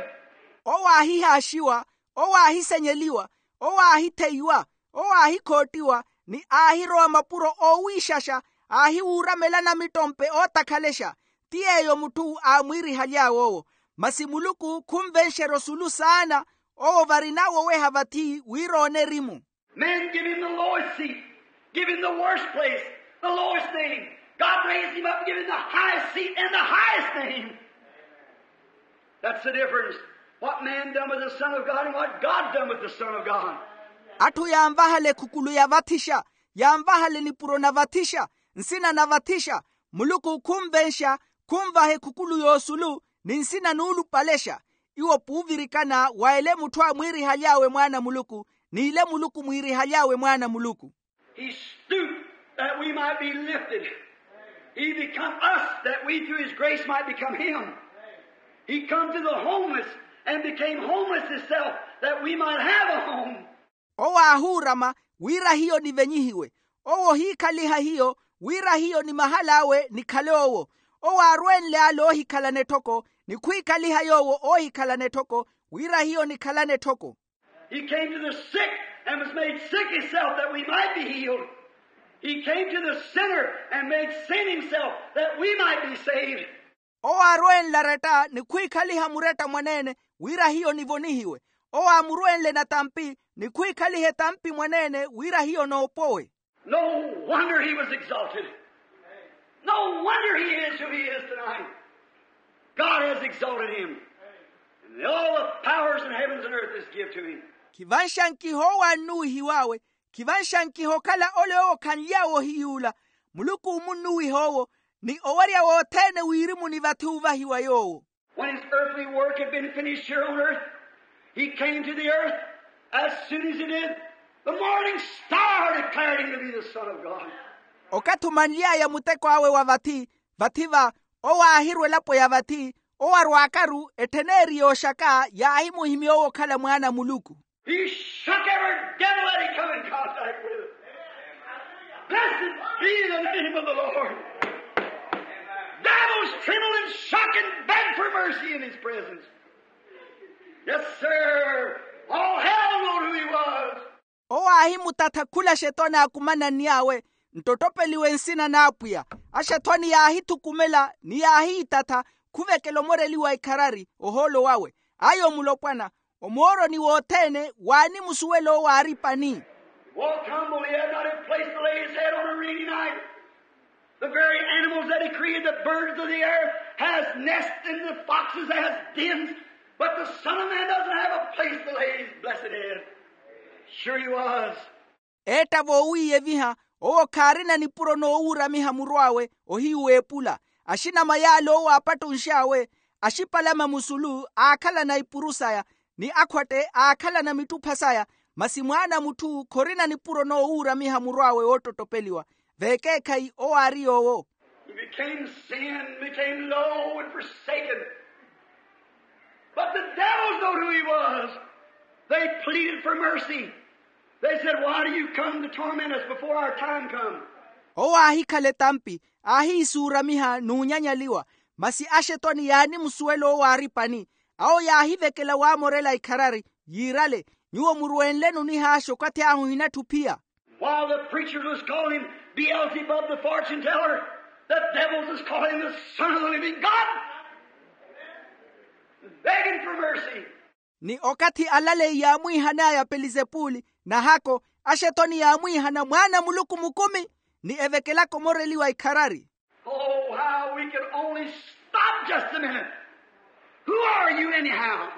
Owo aahihaaxiwa, owo aahisenyeliwa, owo aahitheiwa, owo aahikhottiwa, ni aahirowa mapuro oowiixaxa, aahiwuuramela namittompe ootakhalexa. Ti yeeyo mutthu aamwiirihaly'awe owo. Masi muluku khunvenxerya osulu saana. Owo varin'awe oweha vathi wira oone erimu. Men give him the lowest seat, give him the worst place, the lowest name. God raised him up and give him the highest seat and the highest name. That's the difference. What man done with the Son of God and what God done with the Son of God. Atthu yaanvahala ekhukulu ya vathixa, yaanvahala enipuro na vathixa, nsina na vathixa. Muluku khunvenxa, khunvaha ekhukulu y'osulu, ni nsina nuulupalexa. Iwo puuvirikana wa ele mutthu aamwiirihaly'awe mwaana a muluku, ni ile muluku mwiirihaly'awe mwaana a muluku. He stooped that we might be lifted. He become us that we through his grace might become him. He come to the homeless and became homeless himself that we might have a home. Owo aahuurama wira hiyo nivenyihiwe. Owo ohiikhaliha hiyo wira hiyo ni mahal'awe nikhale owo. Owo aarwenle ale oohikhalana etthoko, ni khwiikhaliha yoowo oohikhalana etthoko, wira hiyo nikhalane etthoko. He came to the sick and was made sick himself that we might be healed. He came to the sinner and made sin himself that we might be saved. Owo aarwenle aretta ni khwiikhaliha muretta mwaneene, wira hiyo nivonihiwe. Owo aamurwenle natampi ni khwiikhaliha etampi mwaneene, wira hiyo noopowe. No wonder he was exalted. No wonder he is who he is tonight. God has exalted him. And all the powers in heavens and earth is give to him. Khivanxankiha owo aannuwihiw'awe, khivanxankiha okhala ole owo khanly'awe ohiyuula. Muluku omunnuwiha owo, ni owerya wothene wirimu ni vathi oovahiwa yoowo. When his earthly work had been finished here on earth, he came to the earth. As soon as he did, the morning star declared him to be the Son of God. Okathi omanly'aya muteko awe wa vathi, vathi va, owo aahirwa elapo ya vathi, owo arwaakaru ettheneeri yooxaka yaahimuhimya owo okhala mwaana a muluku. He shook every devil that he come in contact with. Blessed be the name of the Lord. Devils tremble and shock and beg for mercy in his presence. Yes, sir. All hell knowed who he was. Owo aahimutatha khula axethwani aakumananny'awe, nttottopeliwe nsina n'apwiya. Axethwani yaahithukumela ni yaahiitatha, khuvekela omoreliwa ikharari ohoolo wawe. Ayo mulopwana, omooroni wothene waanimusuwela owo aari pani. Walked humble, he had not a place to lay his head on a rainy night. The very animals that he created, the birds of the air, has nests, and the foxes has dens, but the Son of Man doesn't have a place to lay his blessed head. Sure he was. Eetta voowiiyeviha, owo khaarina nipuro noowuuramiha muru awe ohiyu w'epula. Axinama yaale owo aapattunx'awe, axipalama musulu aakhalana ipuru saya, ni akhwatte aakhalana mittupha saya. Masi mwaana a mutthu khorina nipuro noowuuramiha muru awe woottottopeliwa. Vekeekhayi owo aari yoowo. He became sin, became low and forsaken. But the devils knowed who he was. They pleaded for mercy. They said, "Why do you come to torment us before our time come?" Owo aahikhala etampi, aahiisuuramiha n'unyanyaliwa. Masi axetwani yaanimusuwela owo aari pani. Awo yaahivekela waamorela ikharari, yiirale, nyuwo murwenleni onihaaxa okathi ahu ohinatthi ophiya. While the preachers was calling him Beelzebub the fortune teller, the devils was calling him the Son of the living God, begging for mercy. Ni okathi alaleyi yaamwiihan'aya pelizepuli, nahako, axetwani yaamwiihana mwaana a muluku mukumi, ni evekelaka omoreliwa ikharari. Oh, how we could only stop just a minute. Who are you anyhow?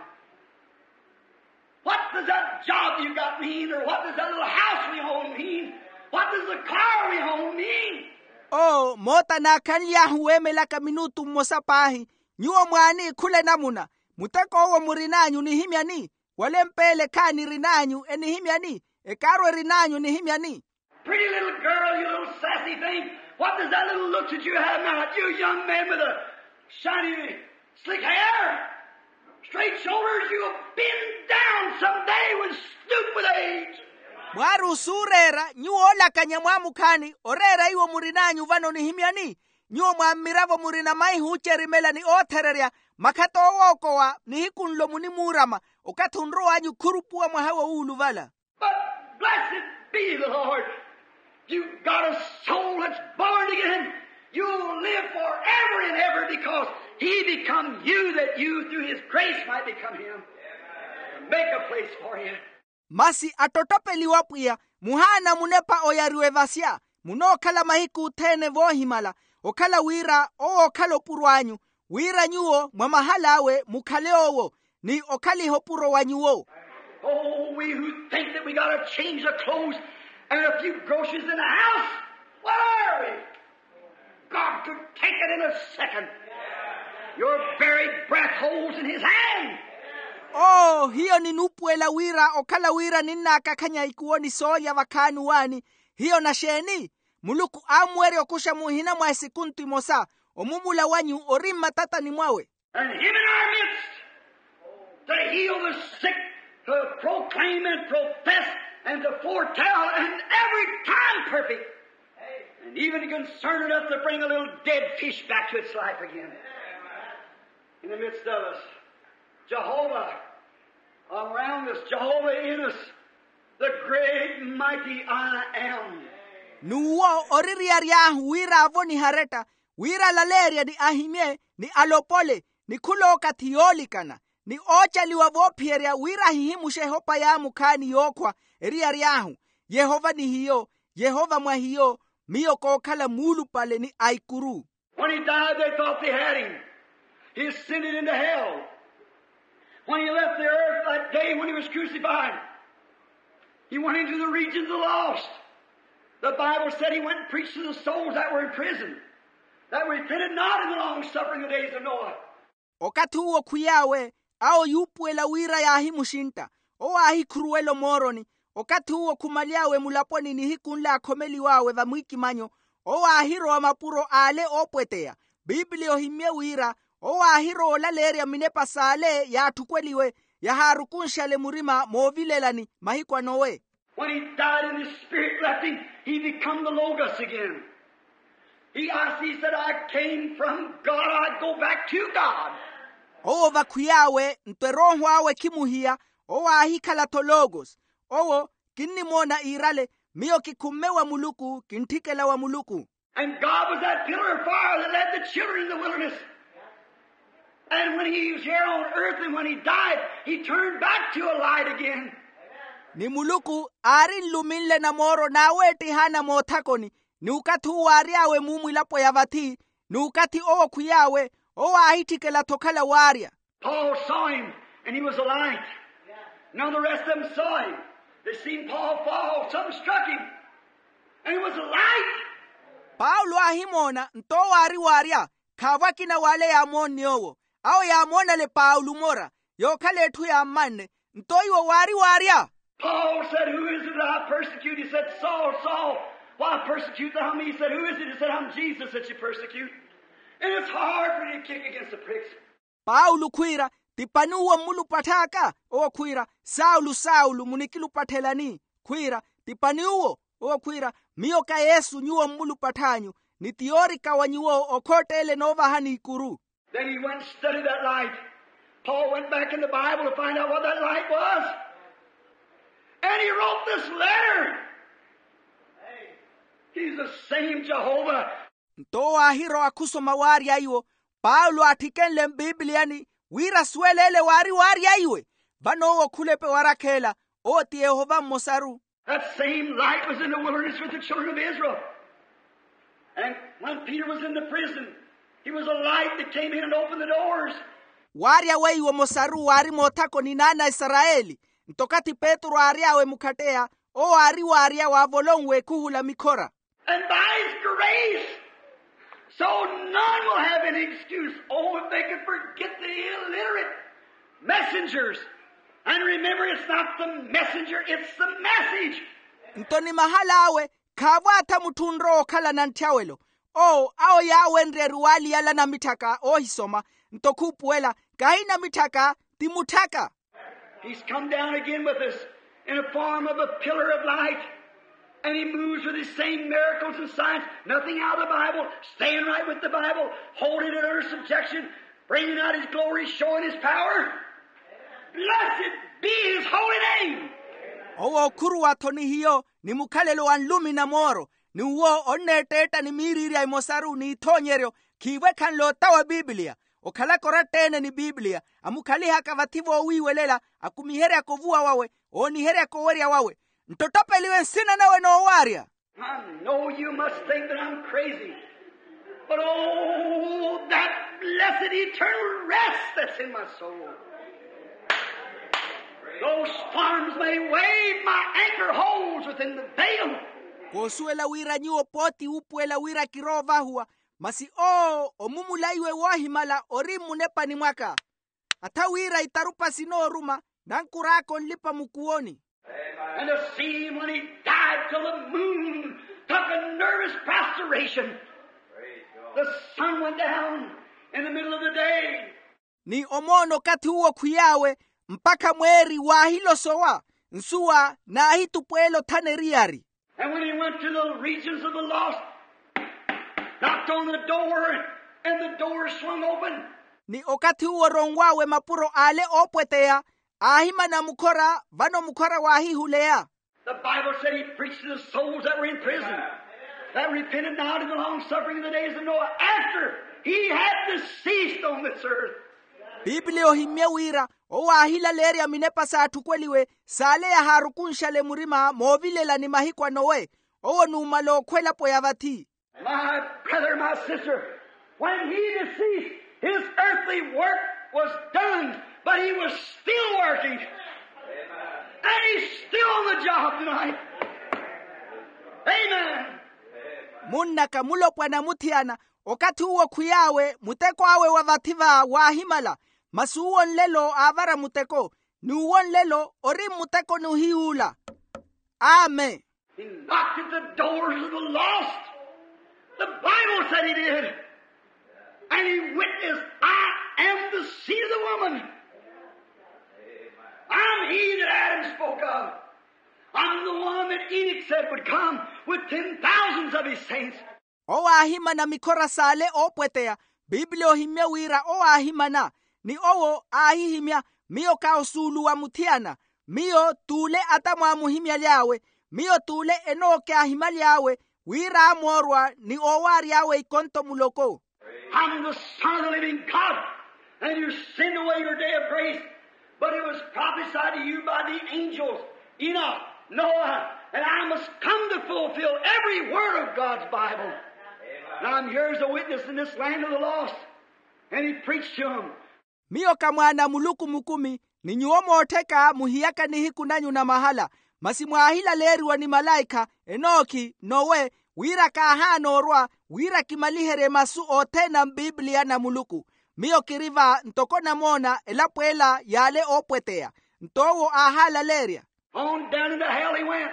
What does that job you got mean, or what does that little house we own mean? What does the car we own mean? Oo moota naakhanly'ahu weemelaka minutu mmosa paahi. Nyuwo mwaani khula enamuna? Muteko owo murin'anyu nihimyani? Wala empeele khaani erin'anyu enihimyani? Ekaaru erin'anyu enihimyani? Pretty little girl, you little sassy thing. What does that little look that you have now? You young man with a shiny slick hair, straight shoulders, you'll bend down someday with stoop with age. Mwaari osuureera nyuwo oolakanya mwaamukhaani oreera iwo murin'anyu vano nihimyani? Nyuwo mwa mmiravo murina maihi oocerimela ni oothererya, makhato oowookowa nihiku nlo munimuurama. Okathi onrow'anyu khurupuwa mwaha woowuluvala. But blessed be the Lord. You've got a soul that's born again. You'll live forever and ever because he become you that you through his grace might become him. Make a place for you. Masi attottopeliwa pwiya, muhaana munepa oyariwa evasya. Munookhala mahiku othene voohimala, okhala wira owo okhala opuro anyu, wira nyuwo mwa mahal'awe mukhale owo, ni okhaliha opuro wa nyuwo. Oh, we who think that we got a change of clothes and a few groceries in the house, what are we? God could take it in a second. Your very breath holds in his hand. Oo hiyo ninuupuwela wira okhala wira ninnaakakhanya ikuwo ni soolya vakhaani waani. Hiyo naxeeni? Muluku aamuwerya okuxa muhina mwa esikuntu imosa. Omumula wanyu ori mmatatani mwawe. And him in our midst to heal the sick, to proclaim and profess and to foretell, and every time perfect, and even concerned enough to bring a little dead fish back to its life again. In the midst of us, Jehovah around us, Jehovah in us, the great mighty I am. N'uwo oririyary'ahu wira avonihe aretta, wira alaleerye ni ahimye, ni alopole, ni khulookathi yoolikana, ni oocaliwa voophiyerya wira ahihimuxe ehopa yaamukhaani yookhwa, eriyary'ahu, Yehova ni hiyo, Yehova mwa hiyo, miyo kookhala muulupale ni aikuru. When he died, they thought they had him. He ascended into hell. When he left the earth that day when he was crucified, he went into the regions of the lost. The Bible said he went and preached to the souls that were in prison, that repented not in the long suffering of the days of Noah. Okathi uwo khwiy'awe, awo yuupuwela wira yaahimuxintta. Owo aahikhuruwela omooroni. Okathi uwo khumaly'awe mulaponi nihiku nle aakhomeliw'awe vamwiikimanyo, owo aahirowa mapuro ale oopweteya. Pipiliya ohimmye wira, owo aahirowa olaleerya minepa s'ale yaatthukweliwe, yahaarukunxale murima moovilelani mahiku a nowe. When he died and his spirit left him, he become the Logos again. He asked, he said, I came from God, I go back to God. Owo vakhwiy'awe nto erooho awe khimuhiya, owo aahikhala-tho logos. Owo, kinnimoona iirale, miyo kikhumme wa muluku kintthikela wa muluku. And God was that pillar of fire that led the children in the wilderness. And when he was here on earth and when he died, he turned back to a light again. Ni muluku aari nluminle na mooro naaweettihaana moothakoni. Ni okathi uwo aary'awe muumwilapo ya vathi, ni okathi owo khwiy'awe, owo aahitthikela-tho okhala waarya. Paul saw him, and he was a light. None of the rest of them saw him. They seen Paul fall. Something struck him, and it was a light. Paulo aahimoona nto owo aari waarya. Khaavo akina w'ale yaamoonne owo. Awo yaamoonale paulo mora, yookhala etthu yaammanne. Nto iwo waari waarya. Paul said, who is it that I persecute? He said, Saul, Saul, why persecute thou me? He said, who is it? He said, I'm Jesus that you persecute. And it's hard for you to kick against the pricks. Paulo khwiira, ti pani uwo mmulupatth'aka? Owo khwiira, saulo saulo munikilupatthela ni? Khwiira, ti pani uwo? Owo khwiira, miyo ka yesu nyuwo mmulupatth'anyu. Ni ti yoorika wa nyuwo okhootteele noovahani ikuru. Then he went and studied that light. Paul went back in the Bible to find out what that light was. And he wrote this letter. He's the same Jehovah. Nto owo aahirowa khusoma waarya iwo. Paulo aatthikenle mpipiliyani wira asuwele ele waari waarya iwe. Vano owo khulepe warakheela, owo ti yehova mmosaru. That same light was in the wilderness with the children of Israel. And when Peter was in the prison, he was a light that came in and opened the doors. Waarya weiwo mmosaru waari moothakoni n'ana a isarayeli. Nto okathi petru aary'awe mukhatteya, owo aari waarya waavolonwe khuhula mikhora. And by his Race. So none will have any excuse. Oh, if they could forget the illiterate messengers. And remember, it's not the messenger, it's the message. Nto ni mahala awe khaavo atha mutthu onrowa okhala na ntthyaawelo. Owo awo yaawenrye eruwaali yala namitthaka oohisoma. Nto khuupuwela, kahi namitthaka, ti mutthaka. He's come down again with us in a form of a pillar of light. And he moves with his same miracles and signs, nothing out of the Bible, staying right with the Bible, holding it under subjection, bringing out his glory, showing his power. Blessed be his holy name. Owo okhuruwa-tho ni hiyo ni mukhalelo wa nlumi na mooro, ni uwo onneetteetta ni miiriirya emosaru n'ithoonyeryo, khiivo ekhanle otawa biipiliya. Okhalaka oratteene ni biipiliya, amukhalihaka vathi voowiiwelela, akumiheryaka ovuwa wawe, ooniheryaka owerya wawe. Nttotopeliwe nsina nawe noowaarya. I know you must think that I'm crazy, but oh, that blessed eternal rest that's in my soul. Though storms may wave, my anchor holds within the veil. Koosuwela wira nyuwo pooti wuupuwela wira kiroovahuwa, masi owo omumulaiwe woohimala ori mmunepani mwaka. Atha wira itarupa sinooruma, nankur'aka onlipa mukuwoni. And to see him when he died till the moon took a nervous prostration. The sun went down in the middle of the day. Ni omoona okathi uwo khwiy'awe, mpakha mweeri waahilosowa, nsuwa naahitupweela othana eriyari. And when he went to the regions of the lost, knocked on the door, and the door swung open. Ni okathi uwo oronw'awe mapuro ale oopweteya, aahimana mukhora, vano mukhora waahihuleya. The Bible said he preached to the souls that were in prison, that repented not in the long suffering of the days of Noah, after he had deceased on this earth. Piipiliya ohimmye wira owo aahilaleerya minepa s'atthu okweliwe, saaleya haarukunxale murima moovilelani mahiku a nowe. Owo numala okhwa elapo ya vathi. My brother, my sister, when he deceased, his earthly work was done, but he was still working. And he's still on the job tonight. Amen. Munnaka mulopwana muthiyana, okathi uwo khwiy'awe muteko awe wa vathi va waahimala, masi uwo nlelo aavara muteko, ni uwo nlelo ori mmutekoni ohiy'ula. Amen. He knocked at the doors of the lost. The Bible said he did. And he witnessed, "I am the seed of the woman. I'm he that Adam spoke of. I'm the one that Enoch said would come with ten thousands of his saints." Owo aahimana mikhora saale oopweteya. Piipiliya ohimmye wira owo aahimana, ni owo aahihimya, miyo ka osuulu wa muthiyana, miyo t'ule atamu aamuhimyaly'awe, miyo t'ule enooke aahimyaly'awe, wira aamoorwa ni oowaary'awe ikonto muloko. I'm the Son of the living God, and you sinned away your day of grace. But it was prophesied to you by the angels, Enoch, Noah, and I must come to fulfill every word of God's Bible. And I'm here as a witness in this land of the lost. And he preached to 'em. Miyo ka mwaana a muluku mukumi, ni nyuwo moottheka muhiyaka nihiku nanyu na mahala, masi mwaahilaleeriwa ni malaikha, enookhi, nowe, wira kaahaana orwa wira kimaliherye masu othene a mpipiliya na muluku. Miyo kiri va ntoko namoona elapo ela y'ale oopweteya. Nto owo aahaalaleerya. On down into hell he went.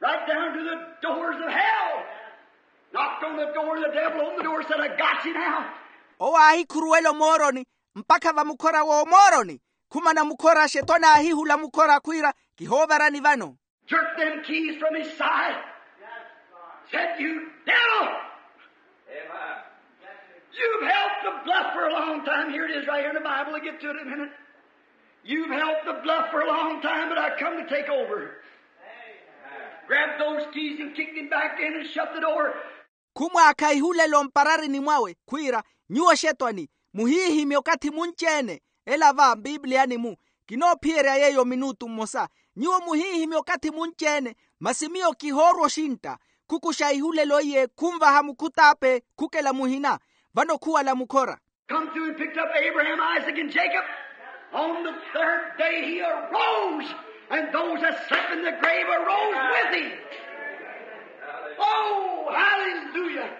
Right down to the doors of hell. Knocked on the door, the devil opened the door, said, "I got you now." Owo aahikhuruwela omooroni, mpakha vamukhora w'omooroni. Khumana mukhora xetwani aahihula mukhora khwiira, kihoovarani vano. Jerked them keys from his side. Said, "You devil! You've held the bluff for a long time." Here it is right here in the Bible. We'll get to it in a minute. "You've held the bluff for a long time, but I come to take over." Grabbed those keys and kicked him back in and shut the door. Khumwaakha ihulela omparareni mwawe, khwiira, "Nyuwo xetwani, muhiihimye okathi munci-ene." Ela va mpipiliyani-mu. Kinoophiyerya yeeyo minutu mmosa. "Nyuwo muhiihimye okathi munci-ene, masi miyo kihoorwa oxintta." Khukuxa ihulelo iye, khunvaha mukhut'ape, khukela muhina. Vano khuwala mukhora. Come through and picked up Abraham, Isaac, and Jacob. On the third day he arose, and those that slept in the grave arose with him. Oh, hallelujah.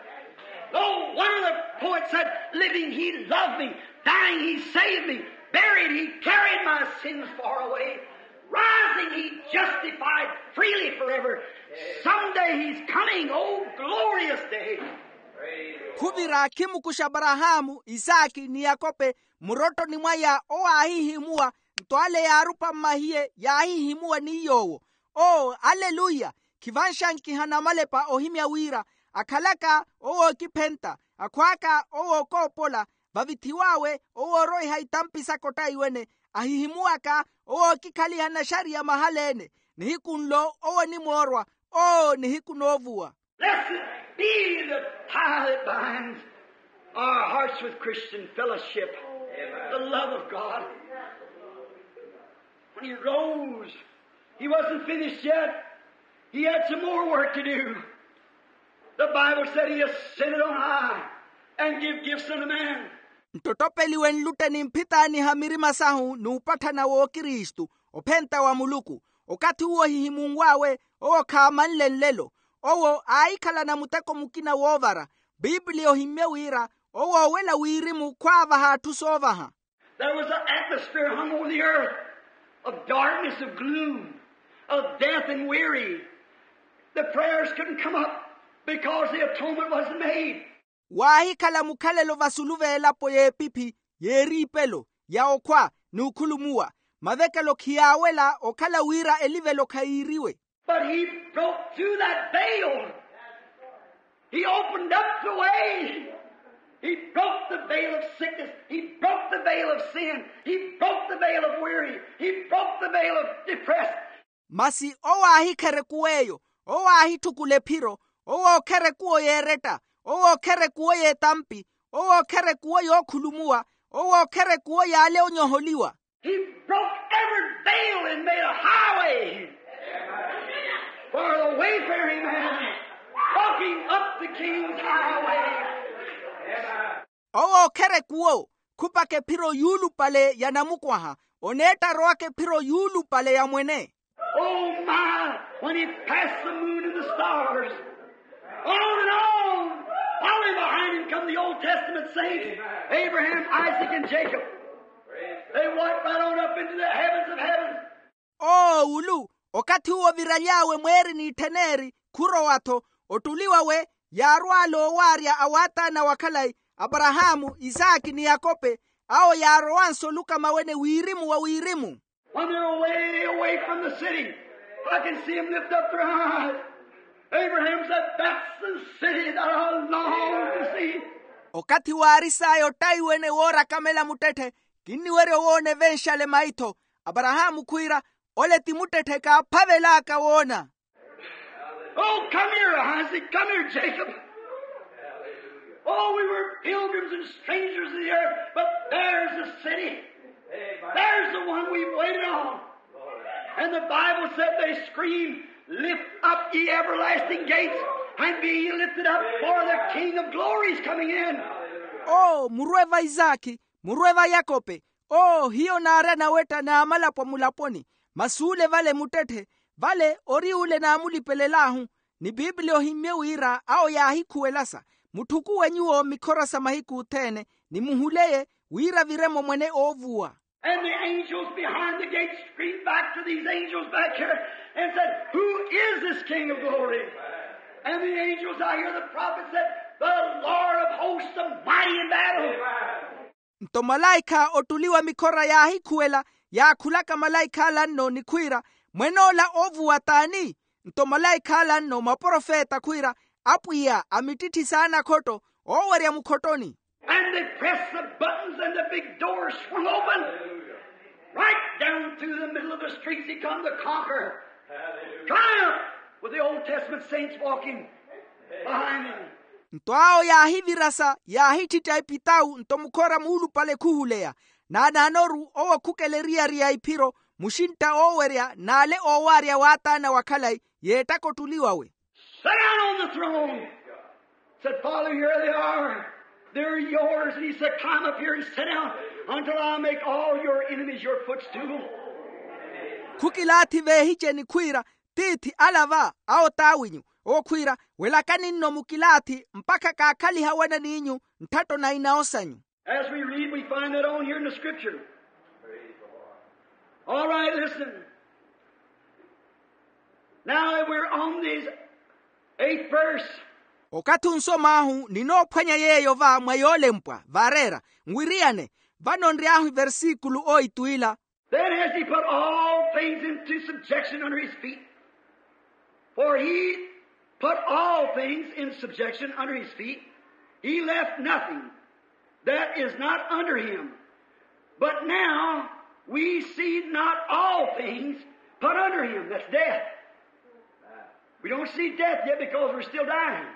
Oh, one of the poets said, living, he loved me. Dying, he saved me. Buried, he carried my sins far away. Rising, he justified freely forever. Someday he's coming. Oh, glorious day. Khuvira khimukuxa aparahaamu, isaki ni yakope, murottoni mwaya owo aahihimuwa. Nto ale yaarupa mmahiye yaahihimuwa ni yoowo. Oo aleluya. Khivanxankiha namalepa ohimya wira akhalaka owo ookiphenta, akhwaaka owo ookoopola, vavithiw'awe owo ooroiha itampi saka ottaiwene, ahihimuwaka owo ookikhaliha naxariya mahala-ene. Nihiku nlo owo onimoorwa. Oo nihiku noovuwa. Blessed be the tie that binds our hearts with Christian fellowship, the love of God. When he rose, he wasn't finished yet. He had some more work to do. The Bible said he ascended on high and give gifts unto men. Nttottopeliwe nlutte ni mphitaaniha mirima sahu n'upatthana w'okristu, ophenta wa muluku. Okathi uwo ohihimunw'awe, owo khaamanle nlelo. Owo aahikhalana muteko mukina woovara. Pipiliya ohimmye wira owo oowela wirimu khwaavaha atthu soovaha. There was an atmosphere hung over the earth of darkness, of gloom, of death and weary. The prayers couldn't come up because the atonement wasn't made. Waahikhala mukhalelo vasulu v'elapo y'epiphi, y'eriipelo, ya okhwa, n'ukhulumuwa. Mavekelo khiyaawela okhala wira elivelo khayiiriwe. But he broke through that veil. He opened up the way. He broke the veil of sickness. He broke the veil of sin. He broke the veil of weary. He broke the veil of depressed. Masi owo aahikherekuw'eyo, owo aahitthukula ephiro, owo ookherekuwo yeeretta, owo ookherekuwo y'etampi, owo ookherekuwo yookhulumuwa, owo ookherekuwo y'ale onyoholiwa. He broke every veil and made a highway for the wayfaring man walking up the king's highway. Owo ookherekuwo khupaka ephiro yuulupale ya namukwaha, oneetta arowaka ephiro yuulupale ya mwene. Oh my, when he passed the moon and the stars, on and on, following behind him come the Old Testament saints, Abraham, Isaac, and Jacob. They walked right on up into the heavens of heaven. Oowulu, okathi uwo viraly'awe mweeri n'ittheneeri khurowa-tho, ottuliw'awe yaarwaala oowaarya a waataana wa khalayi, aparahaamu, isaaki ni yakope. Awo yaarowanse olukama wene wirimu wa wirimu. When they're away, away from the city, I can see them lift up their eyes. Abraham said, that's the city that I long to see. Okathi waaris'aya ottaiwene woora akamela muttetthe, kinniwerya owoona evenxale maitho. Aparahaamu khwiira, ole ti muttetthe kaaphavel'aka woona. Oh, come here, Isaac. Come here, Jacob. Oh, we were pilgrims and strangers to the earth, but there's the city. There's the one we've waited on. And the Bible said they screamed, lift up ye everlasting gates, and be ye lifted up, for the King of glory is coming in. Oo murwe va isaakhi, murwe va yakope. Oo hiyo naari anawetta n'amalapwa mulaponi. Masi ule vale muttetthe, vale ori ule naamulipelel'ahu. Ni pipiliya ohimmye wira awo yaahikhuwelasa, mutthukuwe nyuwo mikhora sa mahiku othene, ni muhuleye wira vire-mo mwene oovuwa. And the angels behind the gate screamed back to these angels back here and said, who is this King of glory? And the angels, I hear the prophet said, the Lord of hosts, the mighty in battle. Nto malaikha ottuliwa mikhora yaahikhuwela, yaakhulaka malaikh'ala nno ni khwiira, mwen'ola oovuwa t'ani? Nto malaikh'ala nno maprofeta khwiira, apwiya a mittitthi saana khotto, oowerya mukhottoni. And they pressed the buttons and the big door swung open. Right down through the middle of the streets he come to conquer. Triumph with the Old Testament saints walking behind him. Nto awo yaahivirasa yaahittitta epitawu nto mukhora muulupale khuhuleya. Naanaanoru owo khukela eriyari ya iphiro, muxintta oowerya n'ale oowaarya waataana wa khalayi, yeettaka ottuliw'awe. Sat down on the throne. Said, Father, here they are. They're yours. And he said, climb up here and sit down until I make all your enemies your footstool. Khukilaathi veehiceni khwiira, tiithi ala va awo t'awinyu. Owo khwiira, welakani nno mukilaathi mpakha kaakhaliha wana n'inyu ntthatto na inawo sanyu. As we read, we find that on here in the scripture. All right, listen. Now that we're on this eighth verse. Okathi onsom'ahu ninoophwanya yeeyo va mwa yoolempwa vaareera, nwiriyane, vano nry'ahu iversikulu oitu ila. Then has he put all things into subjection under his feet. For he put all things in subjection under his feet. He left nothing that is not under him. But now we see not all things put under him. That's death. We don't see death yet because we're still dying.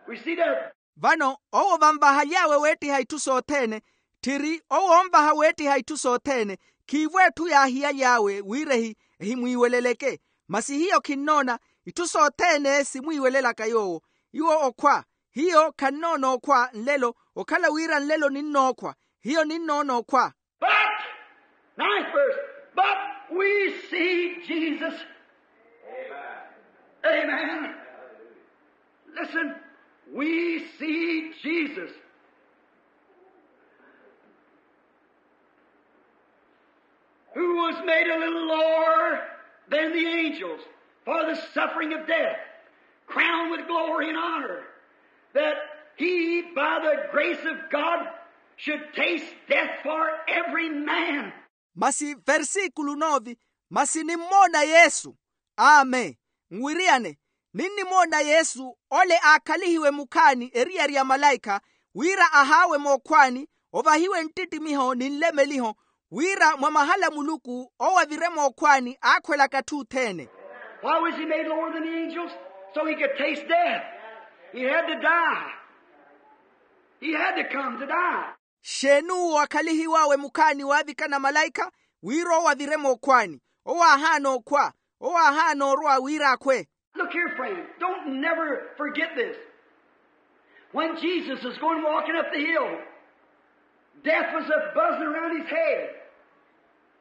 We see death. Vano owo vanvahaly'awe weettiha itthu sothene. Tthiri owo onvaha weettiha itthu sothene. Khiivo etthu yaahiyaly'awe wira ehi ehimwiiweleleke. Masi hiyo khinnoona itthu sothene simwiiwelelaka yoowo. Iwo okhwa. Hiyo khannoona okhwa nlelo. Okhala wira nlelo ninnookhwa. Hiyo ninnoona okhwa. But, ninth verse, but we see Jesus. Amen. Listen, we see Jesus, who was made a little lower than the angels for the suffering of death, crowned with glory and honor, that he, by the grace of God, should taste death for every man. Masi versikulu novi. Masi nimmoona yesu. Amen. Nwiriyane, ninnimoona yesu ole aakhalihiwe mukhaani eriyari ya malaikha, wira ahaawe mookhwaani, ovahiwe nttittimiho ni nlemeliho, wira mwa mahala muluku owo avire mookhwaani aakhwelaka atthu othene. Why was he made lower than the angels? So he could taste death. He had to die. He had to come to die. Xeeni uwo akhalihiw'awe mukhaani waavikana malaikha? Wira owo avire mookhwaani. Owo aahaana okhwa. Owo aahaana orwa wira akhwe. Look here, friend. Don't never forget this. When Jesus is going walking up the hill, death was a buzzing around his head.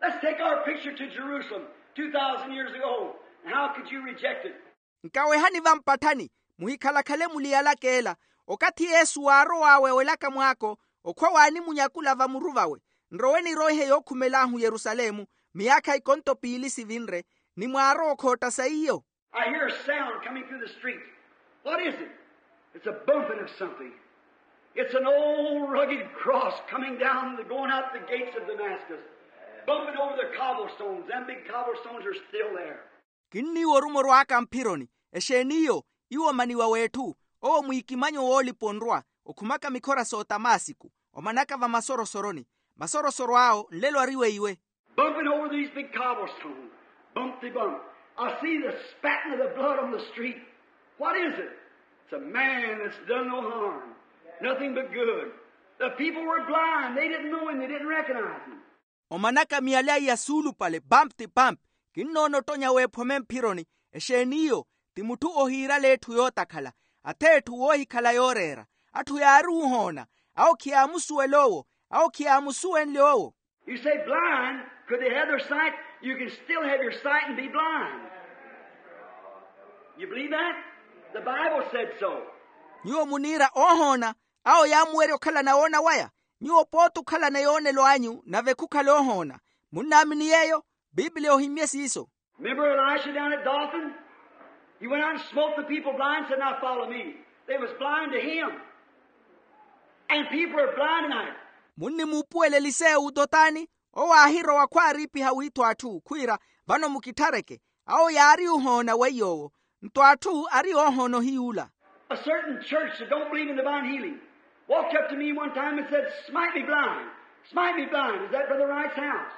Let's take our picture to Jerusalem two thousand years ago. And how could you reject it? Nkawehani vampatthani, muhikhalakhale muliyalaka ela. Okathi yesu waarow'awe awelaka mwaako, okhwa waanimunyakula vamuru vawe. Nrowe niroihe yookhumel'ahu yerusalemu miyaakha ikonto piili sivinre. Ni mwaarowa okhootta saiyo. I hear a sound coming through the streets. What is it? It's a bumping of something. It's an old rugged cross coming down, going out the gates of Damascus, bumping over the cobblestones. Them big cobblestones are still there. Kinniiwa orumo orwaaka mphironi. Exeeni iyo? Iwo omaniwa w'etthu. Owo mwiikimanyo woolipa onrwa, okhumaka mikhora s'otamasiku, omanaka vamasorosoro-ni. Masorosoro awo nlelo ari weiwe. Bumping over these big cobblestones, bump-de-bump. I see the spatting of the blood on the street. What is it? It's a man that's done no harm, nothing but good. The people were blind. They didn't know him. They didn't recognize him. Omanaka miyalya iya suulupale, bamp-ti-bamp. Kinnoona ottonya w'ephome mphironi. Exeeni iyo? Ti mutthu ohiirala etthu yootakhala. Ath'etthu woohikhala yooreera. Atthu yaari ohoona. Awo khiyaamusuwela owo. Awo khiyaamusuwenle owo. You say blind, could they have their sight? You can still have your sight and be blind. You believe that? The Bible said so. Nyuwo muniira oohoona. Awo yaamuwerya okhalana woona waya. Nyuwo pooti okhalana yoonelo anyu nave khukhale ohoona. Munnaamini yeeyo? Pipiliya ohimmye siiso. Remember Elisha down at Dothan? He went out and smote the people blind and said, "Now follow me." They was blind to him. And people are blind tonight. Munnimuupuwela elisewu ototani? Owo aahirowa khwaariipiha wiitho atthu khwiira, vano mukitthareke. Awo yaari ohoona weiy'owo. Nto atthu ari oohoona ohiy'ula. A certain church that don't believe in divine healing walked up to me one time and said, "Smite me blind. Smite me blind." Is that Brother Wright's house?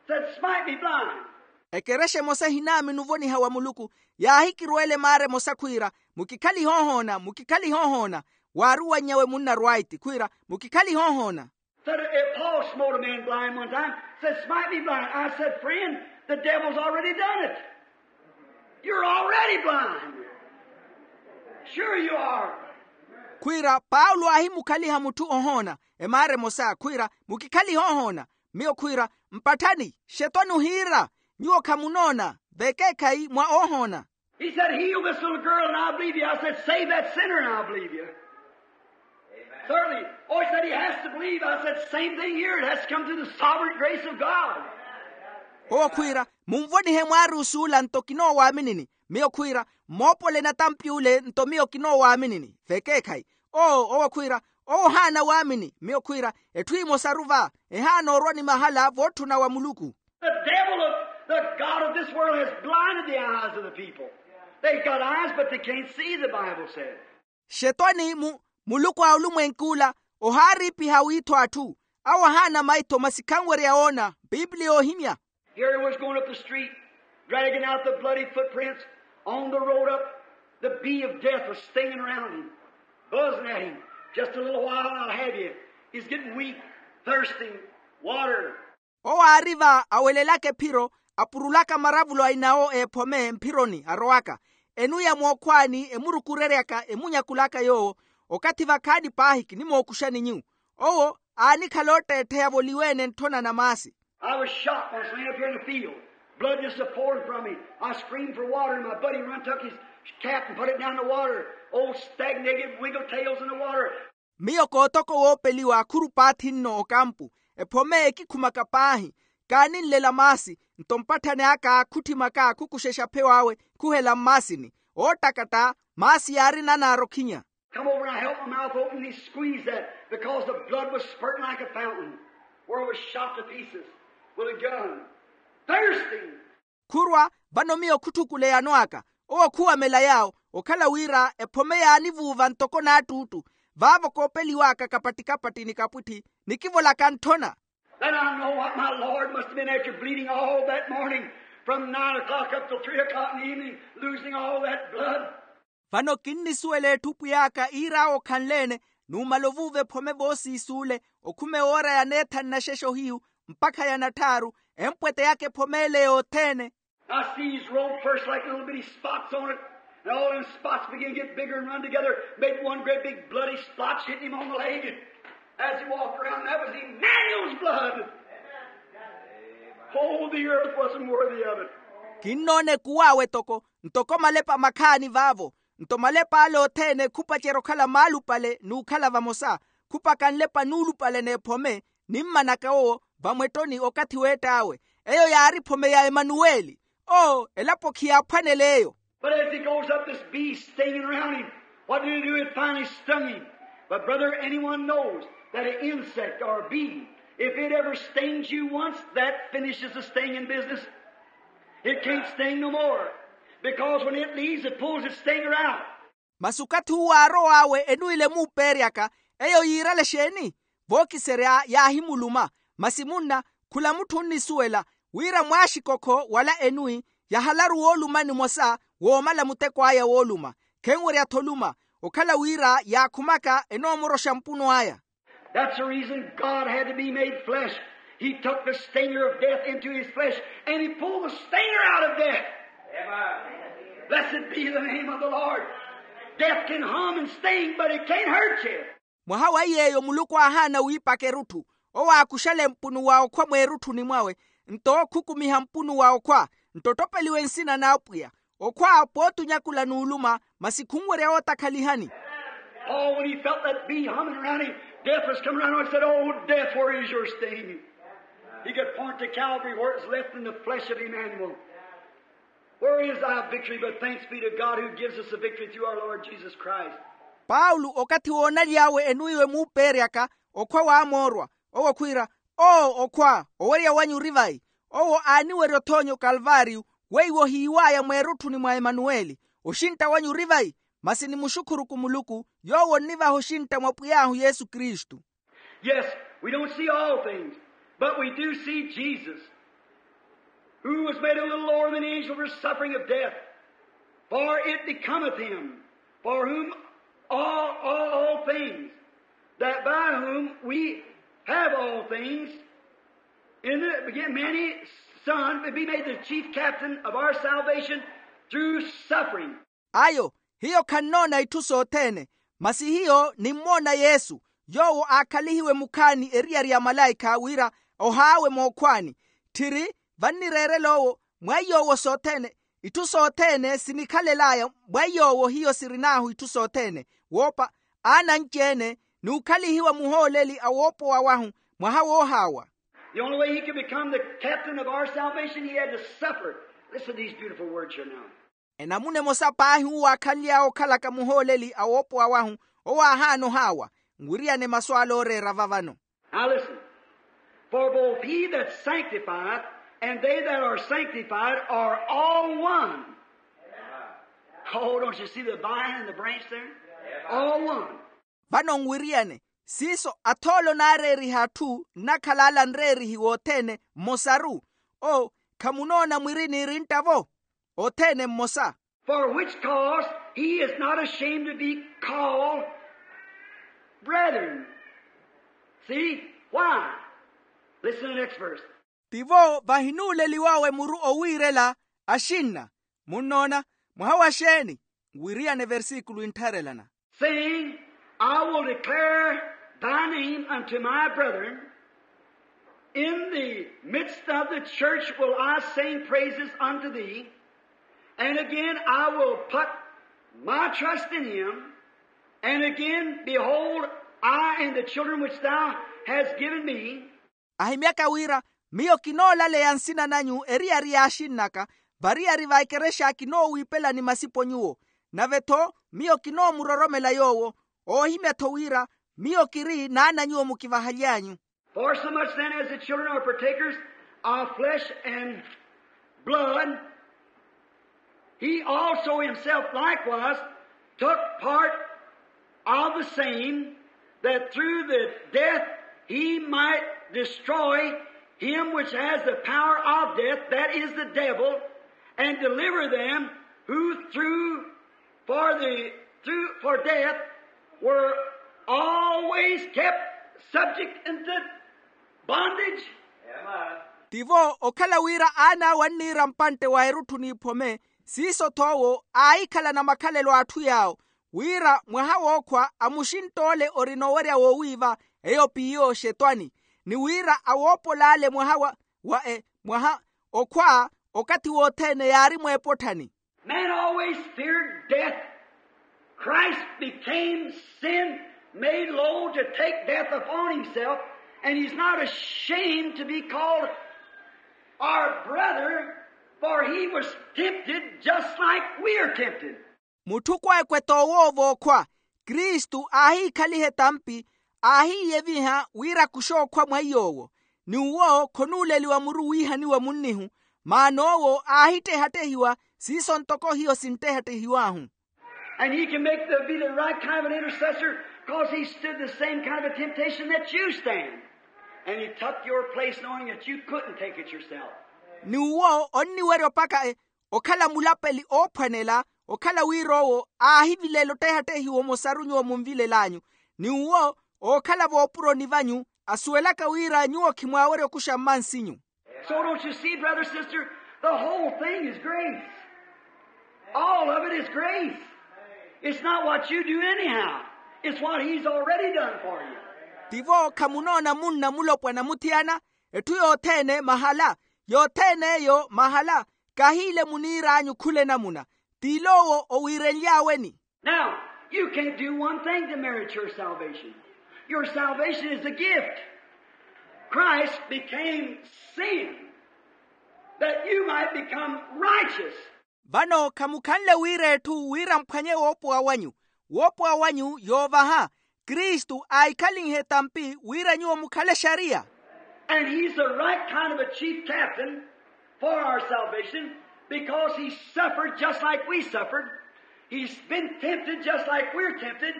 Said, "Smite me blind." Ekerexa emosa ehinaamini ovoniha wa muluku yaahikirweela emaara emosa khwiira, mukikhalihe ohoona, mukikhalihe ohoona. Waari owannyawe munna rwaiti khwiira, mukikhalihe ohoona. Said, uh, Paul smote a man blind one time, said, "Smite me blind." I said, "Friend, the devil's already done it. You're already blind. Sure you are." Khwiira paulo aahimukhaliha mutthu ohoona. Emaara emosa khwiira, mukikhalihe ohoona. Miyo khwiira, mpatthani, xetwani ohiira, nyuwo khamunoona. Vekeekhayi mwa oohoona. He said, "Heal this little girl, and I'll believe you." I said, "Save that sinner, and I'll believe you." Certainly. Oh, he said, "He has to believe." I said, "Same thing here. It has to come through the sovereign grace of God." Owo khwiira, munvonihe mwaari usuula nto kinoowaminini. Miyo khwiira, mmoopole natampi ule nto miyo kinoowaminini. Vekeekhayi. Oo owo khwiira, owo ohaana waamini. Miyo khwiira, etthu emosaru va, ehaana orwa ni mahala vootthuna wa muluku. The devil of the god of this world has blinded the eyes of the people. They've got eyes, but they can't see, the Bible says. Xetwani mu muluku a olumwenk'ula, ohaariipiha wiitho atthu. Awo ahaana maitho masi khanwerya oona. Pipiliya ohimya. Here he was going up the street, dragging out the bloody footprints on the road up. The bee of death was stinging around him, buzzing at him. Just a little while, I'll have you. He's getting weak, thirsting, water. Owo aari va awelelaka ephiro, apurulaka maravulo a inawo ephome mphironi arowaka. Enuya mookhwaani emurukureryaka emunyakulaka yoowo. Okathi vakhaani paahi kinimookuxani nyu. Owo aanikhala otteettheya voliweene ntthona na maasi. I was shot once laying up here in the field. Blood just a pouring from me. I screamed for water, and my buddy run took his cap and put it down in the water. Old stagnated wiggle tails in the water. Miyo kootoka owoopeliwa akhuru paathi nno okampu. Ephome ekikhumaka paahi. Kaaninlela maasi. Nto mpatthani aka khutthimaka khukuxexa pheyo awe khuhela mmaasini. Oottakatta maasi yaari nanaara okhinya. Come over and I held my mouth open, and he squeezed that because the blood was spurting like a fountain where it was shot to pieces with a gun. Thirsting. Khurwa, vano miyo khutthukuleya anw'aka. Owo khuwamela yaawo, okhala wira ephome yaanivuuva ntoko naattuuttu. Vaavo koopeliw'aka kapatti-kapatti ni kapwitthi, nikivolaka ntthona. Then I know what my Lord must have been after bleeding all that morning, from nine o'clock up till three o'clock in the evening, losing all that blood. Vano kinnisuwela etthu pwiy'aka iir'awe okhanle-ene, numala ovuuva ephome voosiisuule, okhume oora ya neethanu na xexo hiyu mpakha ya natthaaru, empweteyaka ephome ele yothene. I see his robe first like little bitty spots on it, and all them spots began to get bigger and run together, made one great big bloody splotch, hitting him on the leg. As he walked around, that was Emmanuel's blood. Oh, the earth wasn't worthy of it. Kinnoona ekuw'awe toko, ntoko malepa makhaani vaavo. Nto malep'ale othene khupacerya okhala maalupale n'ukhala vamosa, khupaka nlepa nuulupale n'ephome, nimmanaka owo vamwettoni okathi weett'awe. Eyo yaari ephome ya emanuweli. Oo, elapo khiyaaphwanela eyo. But as he goes up, this bee stinging around him. What did he do? It finally stung him. But, brother, anyone knows that an insect or a bee, if it ever stings you once, that finishes the stinging business. It can't sting no more. Because when it leaves, it pulls its stinger out. Masi okathi uwo aarow'awe enwile muupeeryaka, eyo yiirale exeeni? Vookiserya yaahimuluma. Masi munna, khula mutthu onnisuwela wira mwaaxikokho wala enwi, yahalaru wooluma nimosa woomala muteko aya wooluma. Khenwerya-tho oluma, okhala wira yaakhumaka enoomoroxa mpuno aya. That's the reason God had to be made flesh. He took the stinger of death into his flesh, and he pulled the stinger out of death. Blessed be the name of the Lord. Death can harm and sting, but it can't hurt you. Mwaha wa iy'eyo muluku aahaana wiipaka erutthu. Owo aakuxale mpunu wa okhwa mweerutthuni mwawe, nto khukumiha mpunu wa okhwa, nto ottopeliwe nsina n'apwiya. Okhwa pootunyakula n'uluma, masi khunwerya wootakhalihani. Paul, when he felt that bee humming around him, death was coming around him, he said, "Oh, death, where is your sting?" He could point to Calvary where it was left in the flesh of Emmanuel. Where is thy victory? But thanks be to God who gives us the victory through our Lord Jesus Christ. Paulo okathi woonaly'awe enwiiwe muupeeryaka, okhwa waamoorwa, owo khwiira, oo okhwa, owerya wanyu ori vayi? Owo aaniwerya othoonya okalvaariyu, weiwo ohiiw'aya mweerutthuni mwa emanuweli. Oxintta wanyu ori vayi? Masi nimuxukhuruku muluku, yoowo onnivaha oxintta mwa pwiy'ahu yesu kristu. Yes, we don't see all things, but we do see Jesus, who was made a little lower than the angels for suffering of death. For it becometh him, for whom all, all, all things, that by whom we have all things, in the many Son, be made the chief captain of our salvation through suffering. Ayo, hiyo khannoona itthu sothene, masi hiyo nimmoona yesu, yoowo aakhalihiwe mukhaani eriyari ya malaikha wira ohaawe mookhwaani. Tthiri, vannireerela owo mwa iy'owo sothene, itthu sothene sinikhalel'aya. Mwa iy'owo hiyo sirin'ahu itthu sothene, woopa, aana anci-ene, n'ukhalihiwa muhooleli a woopowa wahu, mwaha woohaawa. The only way he could become the captain of our salvation, he had to suffer. Listen to these beautiful words here now. Enamuna emosa paahi uwo aakhanly'awe okhalaka muhooleli a woopowa wahu, owo aahaana ohaawa. Nwiriyane masu ale ooreera va vano. Now listen. For both he that sanctifieth and they that are sanctified are all one. Oh, don't you see the vine and the branch there? All one. Vano nwiriyane, siiso athoolo naareeriha atthu nnakhala ala nreerihiwa othene mmosaru. O, khamunoona mwiri niirintta-vo? Othene mmosa. For which cause he is not ashamed to be called brethren. See? Why? Listen to the next verse. Tivo vahinuuleliwawe muru owiirela axinna. Munnoona? Mwaha wa xeeni? Nwiriyane versikulu inttharelana. Saying, I will declare thy name unto my brethren. In the midst of the church will I sing praises unto thee. And again, I will put my trust in him. And again, behold, I and the children which thou hast given me. Ahimyaka wira, miyo kinoolaleya nsina nanyu eriyari y'axinn'aka, variyari va ekerexa kinoowiipelani masipo nyuwo. Nave-tho, miyo kinoomuroromela yoowo. Oohimya-tho wira, miyo kiri n'ana nyuwo mukivahaly'anyu. For so much then as the children are partakers of flesh and blood, he also himself likewise took part of the same, that through the death he might destroy him which has the power of death, that is the devil, and deliver them who through for the, through, for death were always kept subject unto bondage. Tivo okhala wira aan'awe anniira mpantte wa erutthu n'iphome, siiso-tho owo aahikhalana makhalelo a atthu yaawo, wira mwaha wookhwa amuxintta ole orina owerya woowiiva, eyo p'iyo xetwani, ni wira awoopol'ale mwaha wa, wa e, mwaha, okhwa, okathi wothene yaari mweepotthani. Man always feared death. Christ became sin, made low to take death upon himself, and he's not ashamed to be called our brother, for he was tempted just like we are tempted. Mutthu kwekwe t'owoova okhwa, kristu aahiikhaliha etampi, aahiiyeviha wira akuxe okhwa mwa iy'owo. Ni uwo khonuuleliwa muru wiihaniwa munnihu, maana owo aahittehattehiwa, siiso ntoko hiyo sinttehattehiw'ahu. And he can make the, be the right kind of an intercessor, 'cause he stood the same kind of a temptation that you stand. And he took your place, knowing that you couldn't take it yourself. Ni uwo onniwerya opaka e, okhala mulapeli oophwanela, okhala wira owo aahivilela ottehattehiwa omosaru nyuwo munvilel'anyu, ni uwo ookhala voopuroni vanyu, asuwelaka wira nyuwo khimwaawerya okuxa mmansinyu. So don't you see, brother, sister, the whole thing is grace. All of it is grace. It's not what you do anyhow. It's what he's already done for you. Tivo khamunoona munna mulopwana muthiyana, etthu yothene mahala, yothene eyo mahala, kahiile muniir'anyu khula enamuna, t'il'owo owiirenly'aweni. Now, you can't do one thing to merit your salvation. Your salvation is a gift. Christ became sin that you might become righteous. Vano khamukhanle wira etthu wira mphwanye woopowa wanyu. Woopowa wanyu yoovaha. Kristu aahikhalinhe etampi wira nyuwo mukhale exariya. And he's the right kind of a chief captain for our salvation, because he suffered just like we suffered. He's been tempted just like we're tempted,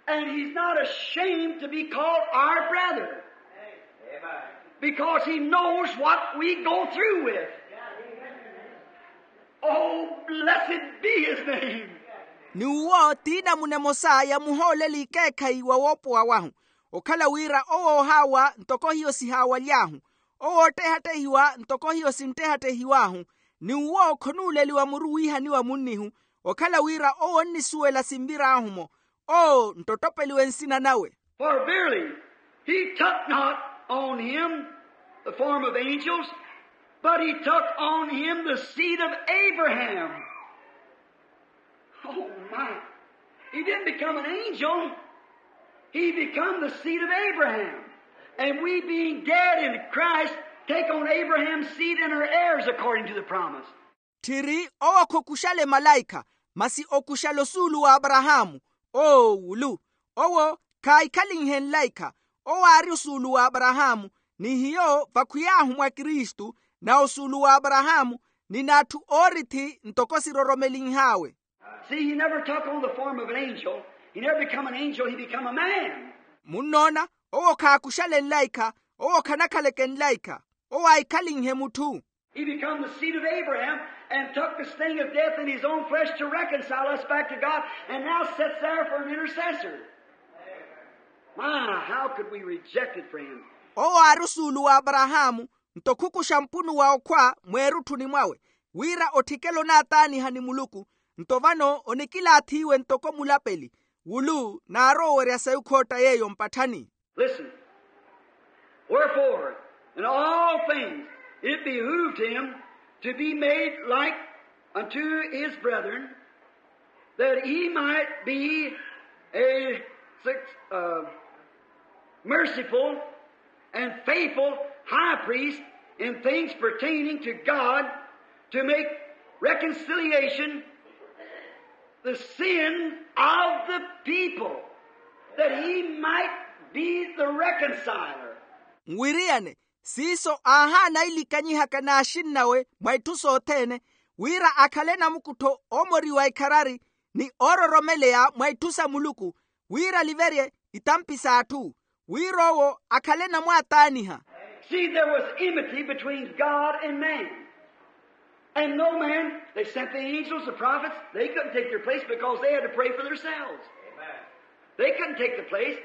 and he's not ashamed to be called our brother, because he knows what we go through with. Oh, blessed be his name. Ni uwo t'inamuna emosa ya muhooleli ekeekhayi wa woopowa wahu, okhala wira owo oohaawa ntoko hiyo sihaawaly'ahu, owo oottehattehiwa ntoko hiyo sinttehattehiw'ahu, ni uwo khonuuleliwa muru wiihaniwa munnihu, okhala wira owo onnisuwela sinvir'ahu-mo. Oo nttottopeliwe nsina nawe. For verily he took not on him the form of angels, But he took on him the seed of Abraham. Oh my. He didn't become an angel. He become the seed of Abraham. And we, being dead in Christ, take on Abraham's seed and are heirs according to the promise. Tthiri owo khokuxale malaikha, masi okuxale osuulu w'aparahaamu. Oowulu. Owo khaahikhalinhe nlaikha. Owo aari osuulu w'aparahaamu, ni hiyo vakhwiy'ahu mwa kristu, na osuulu w'aparahaamu, ni n'atthu oorithi ntoko siroromelinh'awe. See, he never took on the form of an angel. He never become an angel. He become a man. Munnoona, owo khaakuxale nlaikha. Owo khanakhaleke nlaikha. Owo aahikhalinhe mutthu. He become the seed of Abraham and took the sting of death in his own flesh to reconcile us back to God, and now sits there for an intercessor. My, how could we reject it, friends? Owo aari osuulu w'aparahaamu, nto khukuxa mpunu wa okhwa mweerutthuni mwawe, wira otthikele onaataaniha ni muluku. Nto vano onikilaathiwe ntoko mulapeli, wulu naarowa owerya sayi okhootta yeeyo mpatthani. Listen. Wherefore, in all things it behooved him to be made like unto his brethren, that he might be a suc- uh, merciful and faithful high priest in things pertaining to God, to make reconciliation the sin of the people, that he might be the reconciler. Nwiriyane, siiso aahaana ilikanyihaka n'axinn'awe mwa itthu sothene, wira akhale namukuttho oomoriwa ikharari, ni oororomeleya mwa itthu sa muluku, wira aliverye itampi s'atthu, wira owo akhale namwaataaniha. See, there was enmity between God and man. And no man, they sent the angels, the prophets, they couldn't take their place because they had to pray for themselves. They couldn't take the place.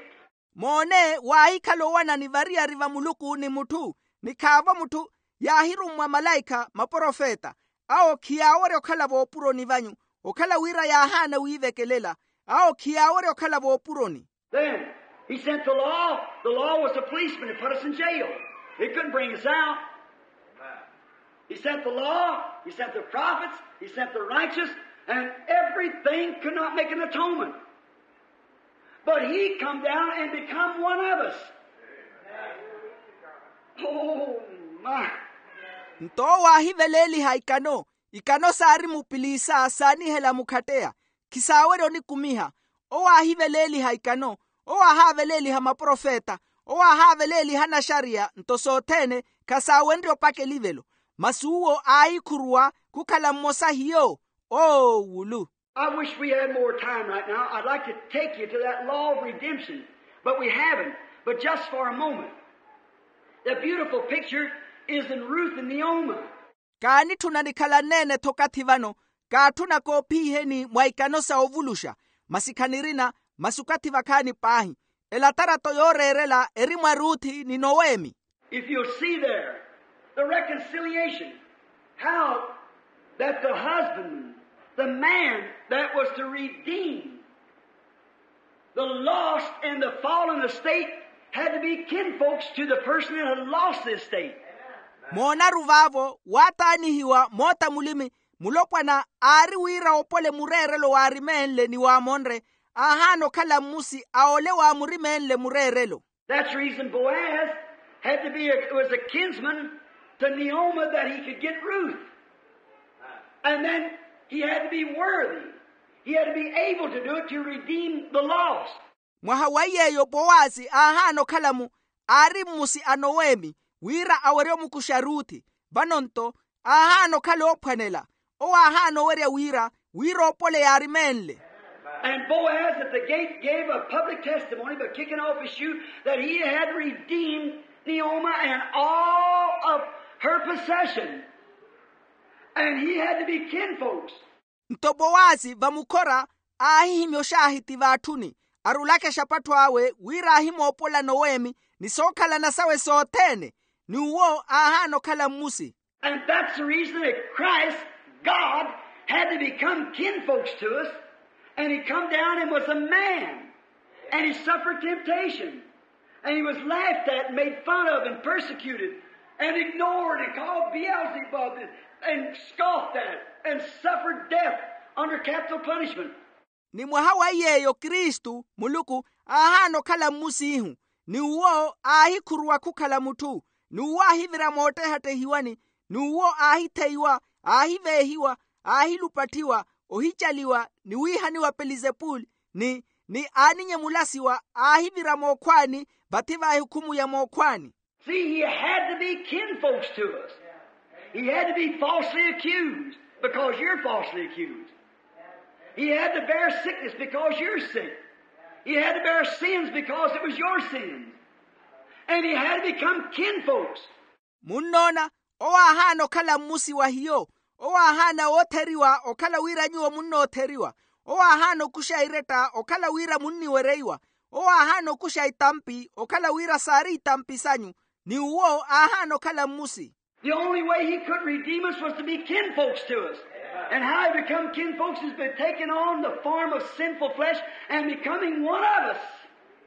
Moone, waahikhala owanani variyari va muluku ni mutthu, ni khaavo mutthu. Yaahirummwa malaikha maprofeta, awo khiyaawerya okhala voopuroni vanyu, okhala wira yaahaana wiivekelela. Awo khiyaawerya okhala voopuroni. Then he sent the law. The law was a policeman that put us in jail. It couldn't bring us out. He sent the law, he sent the prophets, he sent the righteous, and everything could not make an atonement. But he come down and become one of us. Oh my. Nto owo aahiveleeliha ikano. Ikano saari mupiliisa saanihela mukhatteya. Khisaawerya onikumiha. Owo aahiveleeliha ikano. Owo aahaaveleeliha maprofeta. Owo aahaaveleeliha anaxariya, nto sothene khasaawenrye opaka elivelo. Masi uwo aahikhuruwa khukhala mmosa hiyo. Oowulu. I wish we had more time right now. I'd like to take you to that law of redemption, but we haven't. But just for a moment. The beautiful picture is in Ruth and Naomi. Kaanitthuna nikhalanneene-tho okathi vano. Kaatthuna koophiiheni mwa ikano sa ovuluxa. Masi khanirina. Masi okathi vakhaani paahi. Elatarato yooreerela eri mwa ruthi ni noweemi. If you'll see there, the reconciliation, how that the husband, the man that was to redeem the lost and the fallen estate, had to be kinfolks to the person that had lost the estate. Moonaru vaavo waataanihiwa moota mulimi, mulopwana aari wira oopole mureerelo waarimeenle ni waamonre, aahaana okhala mmusi a ole waamurimeenle mureerelo. That's the reason Boaz had to be a, was a kinsman to Naomi that he could get Ruth. And then he had to be worthy. He had to be able to do it to redeem the lost. Mwaha wa yeeyo Powasi aahaana okhala-mu, aari mmusi a noweemi, wira awerye omukuxa ruthi. Vano-nto aahaana okhala oophwanela. Owo aahaana owerya wira, wira oopole yaarimeenle. And Boaz at the gate gave a public testimony by kicking off his shoe that he had redeemed Naomi and all of her possession. And he had to be kinfolks. Nto Powasi vamukhora aahihimya oxaahiti vaatthuni, arulaka exapattho awe wira aahimoopola noweemi ni sookhalana sawe sothene. Ni uwo aahaana okhala mmusi. And that's the reason that Christ, God, had to become kinfolks to us, and he come down and was a man, and he suffered temptation, and he was laughed at and made fun of and persecuted. And ignored and called Beelzebub and, and scoffed at and suffered death under capital punishment. Ni mwaha wa yeeyo kristu muluku aahaana okhala mmusiihu, ni uwo aahikhuruwa khukhala mutthu, ni uwo aahivira moottehattehiwani, ni uwo aahitheiwa, aahiveehiwa, aahilupatthiwa, ohicaliwa ni wiihaniwa pelizepuli, ni ni aaninyemulasiwa aahivira mookhwaani, vathi va ehukhumu ya mookhwaani. See, he had to be kinfolks to us. He had to be falsely accused because you're falsely accused. He had to bear sickness because you're sick. He had to bear sins because it was your sins. And he had to become kinfolks. Munnoona, owo aahaana okhala mmusi wa hiyo. Owo aahaana wootheriwa okhala wira nyuwo munnootheriwa. Owo aahaana okuxa iretta okhala wira munniwereiwa. Owo aahaana okuxa itampi okhala wira saari itampi sanyu. Ni uwo aahaana okhala mmusi. The only way he could redeem us was to be kinfolks to us. And how he become kinfolks is by taking on the form of sinful flesh and becoming one of us.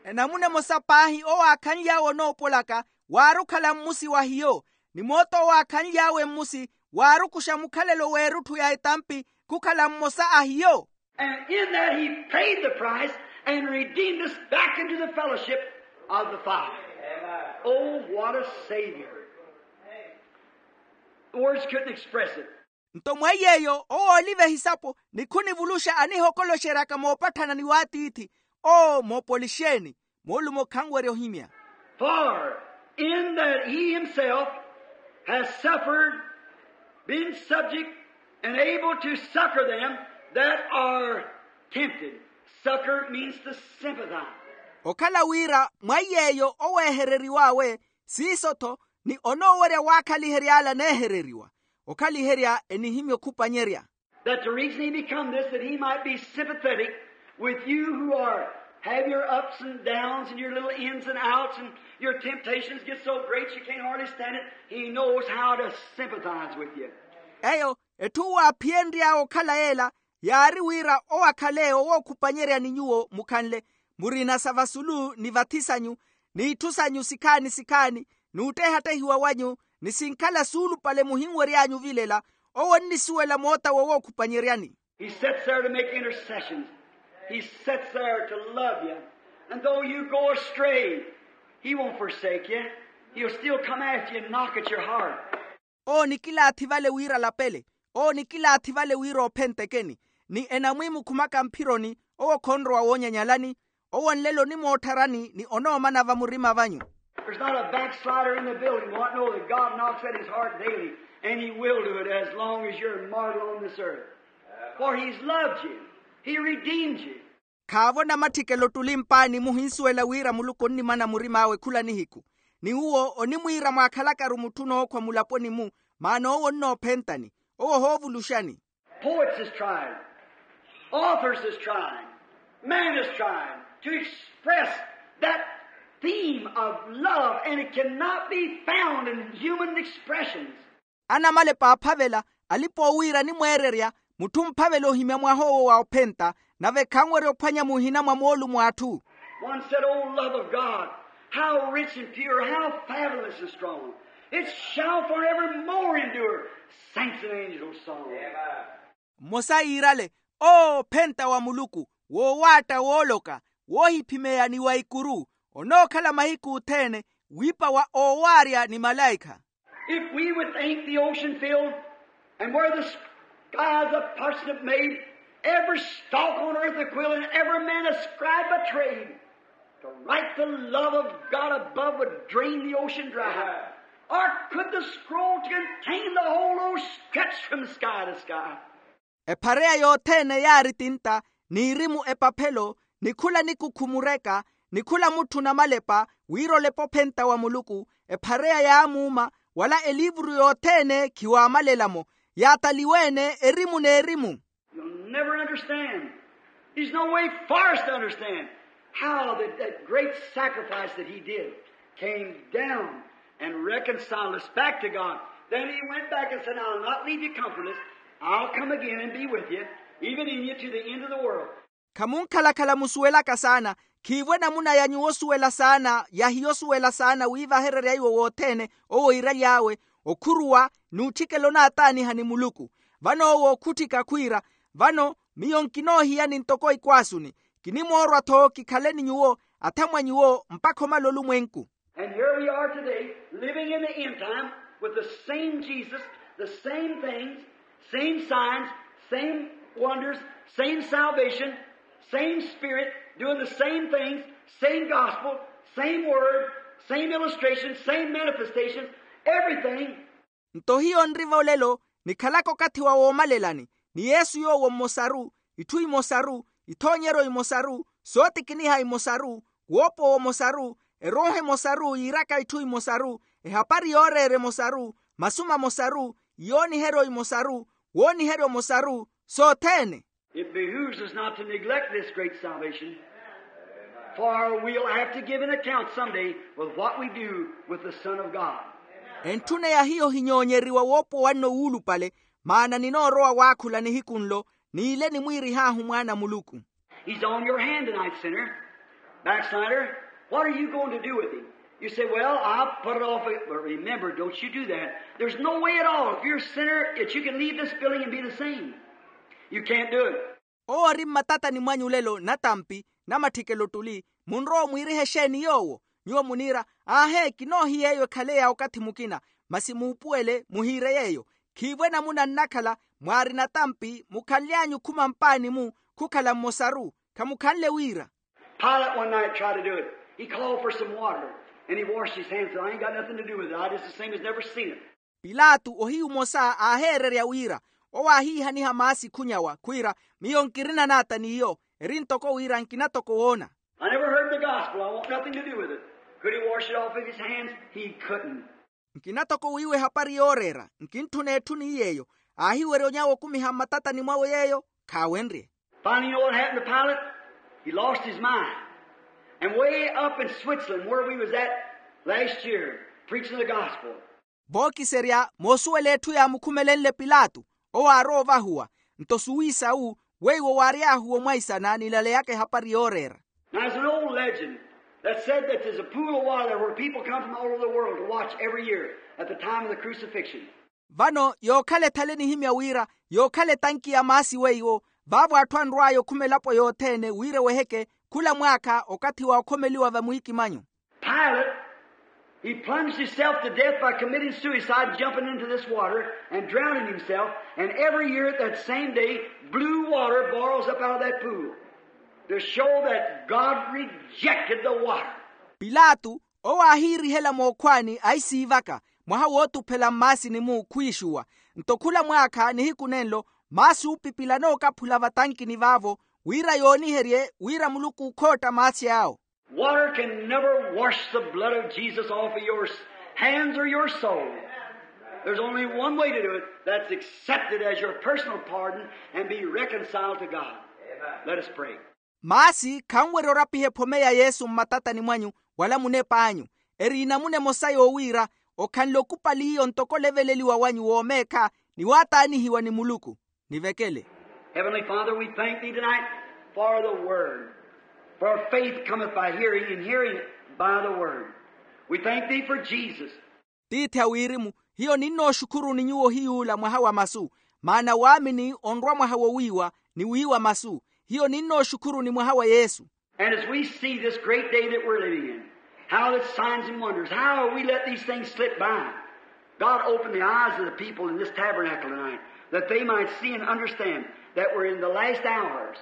Enamuna emosa paahi owo aakhanly'awe onoopolaka waari okhala mmusi wa hiyo. Ni moota owo aakhanly'awe mmusi waari okuxa mukhalelo w'erutthu ya etampi khukhala mmosa a hiyo. And in that he paid the price and redeemed us back into the fellowship of the Father. Oh, what a Savior. Words couldn't express it. Nto mwa yeeyo owo ooliva ehisapo ni khunivuluxa anihokoloxeryaka moopatthana ni w'atiithi. Oo moopolixeni. Moolumo khanwerya ohimya. For in that he himself has suffered, been subject, and able to succor them that are tempted. Succor means to sympathize. Okhala wira mwa yeeyo oweehereriw'awe siiso-tho ni onoowerya waakhalihery'ala aneehereriwa. Okhaliherya enihimya okhupanyerya. That the reason he become this, that he might be sympathetic with you who are, have your ups and downs and your little ins and outs and your temptations get so great you can't hardly stand it. He knows how to sympathize with you. Eyo etthu waaphiyenry'awe okhala yeela yaari wira owo akhale owookhupanyerya ni nyuwo mukhanle murina sa vasulu ni vathi sanyu, n'itthu sanyu sikhaani sikhaani, n'uttehattehiwa wanyu, ni sinkhala suulupale muhinwery'anyu ovilela. Owo onnisuwela moota wowokhupanyeryani. He sits there to make intercessions. He sits there to love you. And though you go astray, he won't forsake you. He'll still come after you and knock at your heart. Owo nikilaathi vale wira alapele. Owo nikilaathi vale wira ophentekeni. Ni enamwiimukhumaka mphironi. Owo khonrowa woonyanyalani. Owo nlelo onimoottharani ni onoomana vamurima vanyu. There's not a backslider in the building won't know that God knocks at his heart daily, and he will do it as long as you're a mortal on this earth. For he's loved you. He redeemed you. Khaavo namatthikelo ottuli mpaani muhinsuwela wira muluku onnimana murim'awe khula nihiku. Ni uwo onimwiira mwaakhalakaru mutthu onookhwa mulaponi-mu. Maana owo onnoophentani. Owo ohoovuluxani. Poets has tried. Authors has tried. Man has tried to express that theme of love, and it cannot be found in human expressions. Anamalepa aaphavela alipa owiira animweererya. Mutthu omphavela ohimya mwaha owo wa ophenta. Nave khanwerya ophwanya muhina mwa moolumo a atthu. One said, oh, love of God, how rich and pure, how fathomless and strong. It shall forevermore endure. Saints and angels song. Mmosa iirale, oo ophenta wa muluku, woowaatta wooloka, woohiphimeya ni wa ikuru, onookhala mahiku othene wiipa wa oowaarya ni malaikha. If we would think the ocean filled, and where the skies of parsnip made, every stalk on earth a quill, and every man a scribe by trade, to write the love of God above would drain the ocean dry. Or could the scroll contain the whole earth stretched from sky to sky? Ephareya yothene yaari tinta, n'irimu epaphelo, ni khula nikukhu mureka, ni khula mutthu namalepa wira olepa ophenta wa muluku. Ephareya yaamuuma, wala eliivuru yothene khiwaamalela-mo. Yaataliwe-ene erimu n'erimu. You'll never understand. There's no way for us to understand how that, that great sacrifice that he did came down and reconciled us back to God. Then he went back and said, I'll not leave you comfortless. I'll come again and be with you, even in you to the end of the world. Khamunkhalakhala musuwelaka saana. Khiivo enamuna ya nyuwo osuwela saana yahiya osuwela saana wiivahererya iwo wothene owo iiraly'awe okhuruwa n'utthikela onaataaniha ni muluku. Vano owo okhutthika khwiira, vano miyo nkinoohiyani ntoko ikwaasuni, kinimoorwa-tho kikhale ni nyuwo athamwa nyuwo mpakha omala olumwenku. And here we are today, living in the end time with the same Jesus, the same things, same signs, same wonders, same salvation, same Spirit, doing the same things, same gospel, same word, same illustration, same manifestations, everything. Nto hiyo nriva olelo nikhalaka okathi wa woomalelani, ni yesu yoowo mmosaru, itthu imosaru, ithoonyeryo imosaru, sootikiniha imosaru, woopowa omosaru, erooho emosaru yiiraka itthu imosaru, ehapari yooreera emosaru, masu mamosaru, iyooniheryo imosaru, wooniheryo omosaru, sothene. It behooves us not to neglect this great salvation, for we'll have to give an account someday with what we do with the Son of God. Entthuneya hiyo hinyoonyeriwa woopowa nno wuulupale, maana ninoorowa waakhula nihiku nlo, n'ile nimwiirih'ahu mwaana a muluku. He's on your hand tonight, sinner, backslider. What are you going to do with him? You say, well, I'll put it off. But remember, don't you do that. There's no way at all. If you're a sinner, that you can leave this building and be the same. You can't do it. Owo ori mmatatani mwanyu lelo natampi, namatthikelo ttuli, munrowa omwiiriha exeeni yoowo? Nyuwo muniira, aahe kinoohiya eyo ekhale ya okathi mukina, masi muupuwele muhiire yeeyo. Khiivo enamuna nnakhala mwaari natampi mukhanly'anyu khuma mpaani-mu, khukhala mmosaru, khamukhanle wira. Pilate one night tried to do it. He called for some water and he washed his hands and said, I ain't got nothing to do with it. I just the same as never seen it. Pilato ohiyu omosa aaheererya wira, owo aahiihaniha maasi khunyawa khwiira, miyo nkirina naata n'iyo, eri ntoko wira nkina toko woona. I never heard the gospel. I want nothing to do with it. Could he wash it off of his hands? He couldn't. Nkina toko wiiwa ehapari yooreera, nkintthuna etthu ni yeeyo. Aahiwerya onyawa okumiha mmatatani mwawe yeeyo, khaawenrye. Finally, you know what happened to Pilate? He lost his mind. And way up in Switzerland, where we was at last year, preaching the gospel. Vookiserya moosuwela etthu yaamukhumelenle pilato, owo aarowa ovahuwa. Nto suwisa-wu weiwo waary'ahu omwaisana nilaleyaka ehapari yooreera. Now, there's an old legend that said that there's a pool of water where people come from all over the world to watch every year at the time of the crucifixion. Vano yookhala ethale nihimya wira yookhala etanki ya maasi weiwo, vaavo atthu anrw'aya okhuma elapo yothene wira eweheke khula mwaakha okathi wa okhomeliwa vamwiikimanyo. Pilate, he plunged himself to death by committing suicide, jumping into this water and drowning himself. And every year at that same day, blue water boils up out of that pool to show that God rejected the water. Pilato owo aahiirihela mookhwaani aisiivaka mwaha wootuphela mmaasini-mu khwiixuwa. Nto khula mwaakha nihiku nenlo maasi oopipila nookaphula vatankini vaavo, wira yooniherye wira muluku khootta maasi awo. Water can never wash the blood of Jesus off of your hands or your soul. There's only one way to do it. That's accept it as your personal pardon and be reconciled to God. Let us pray. Maasi khanwerya orapiha ephome ya yesu mmatatani mwanyu wala munep'anyu. Eri enamuna emosa yoowiira okhanle okupali iyo ntoko oleveleliwa wanyu woomeekha ni waataanihiwa ni muluku. Nivekele. Heavenly Father, we thank thee tonight for the word. For faith cometh by hearing, and hearing by the word. We thank thee for Jesus. Tiithi a wirimu, hiyo ninnooxukhuruni nyuwo hiy'ula mwaha wa masu. Maana waamini onrwa mwaha wowiiwa ni wiiwa masu. Hiyo ninnooxukhuruni mwaha wa yesu. And as we see this great day that we're living in, how that signs and wonders, how we let these things slip by. God, open the eyes of the people in this tabernacle tonight, that they might see and understand that we're in the last hours.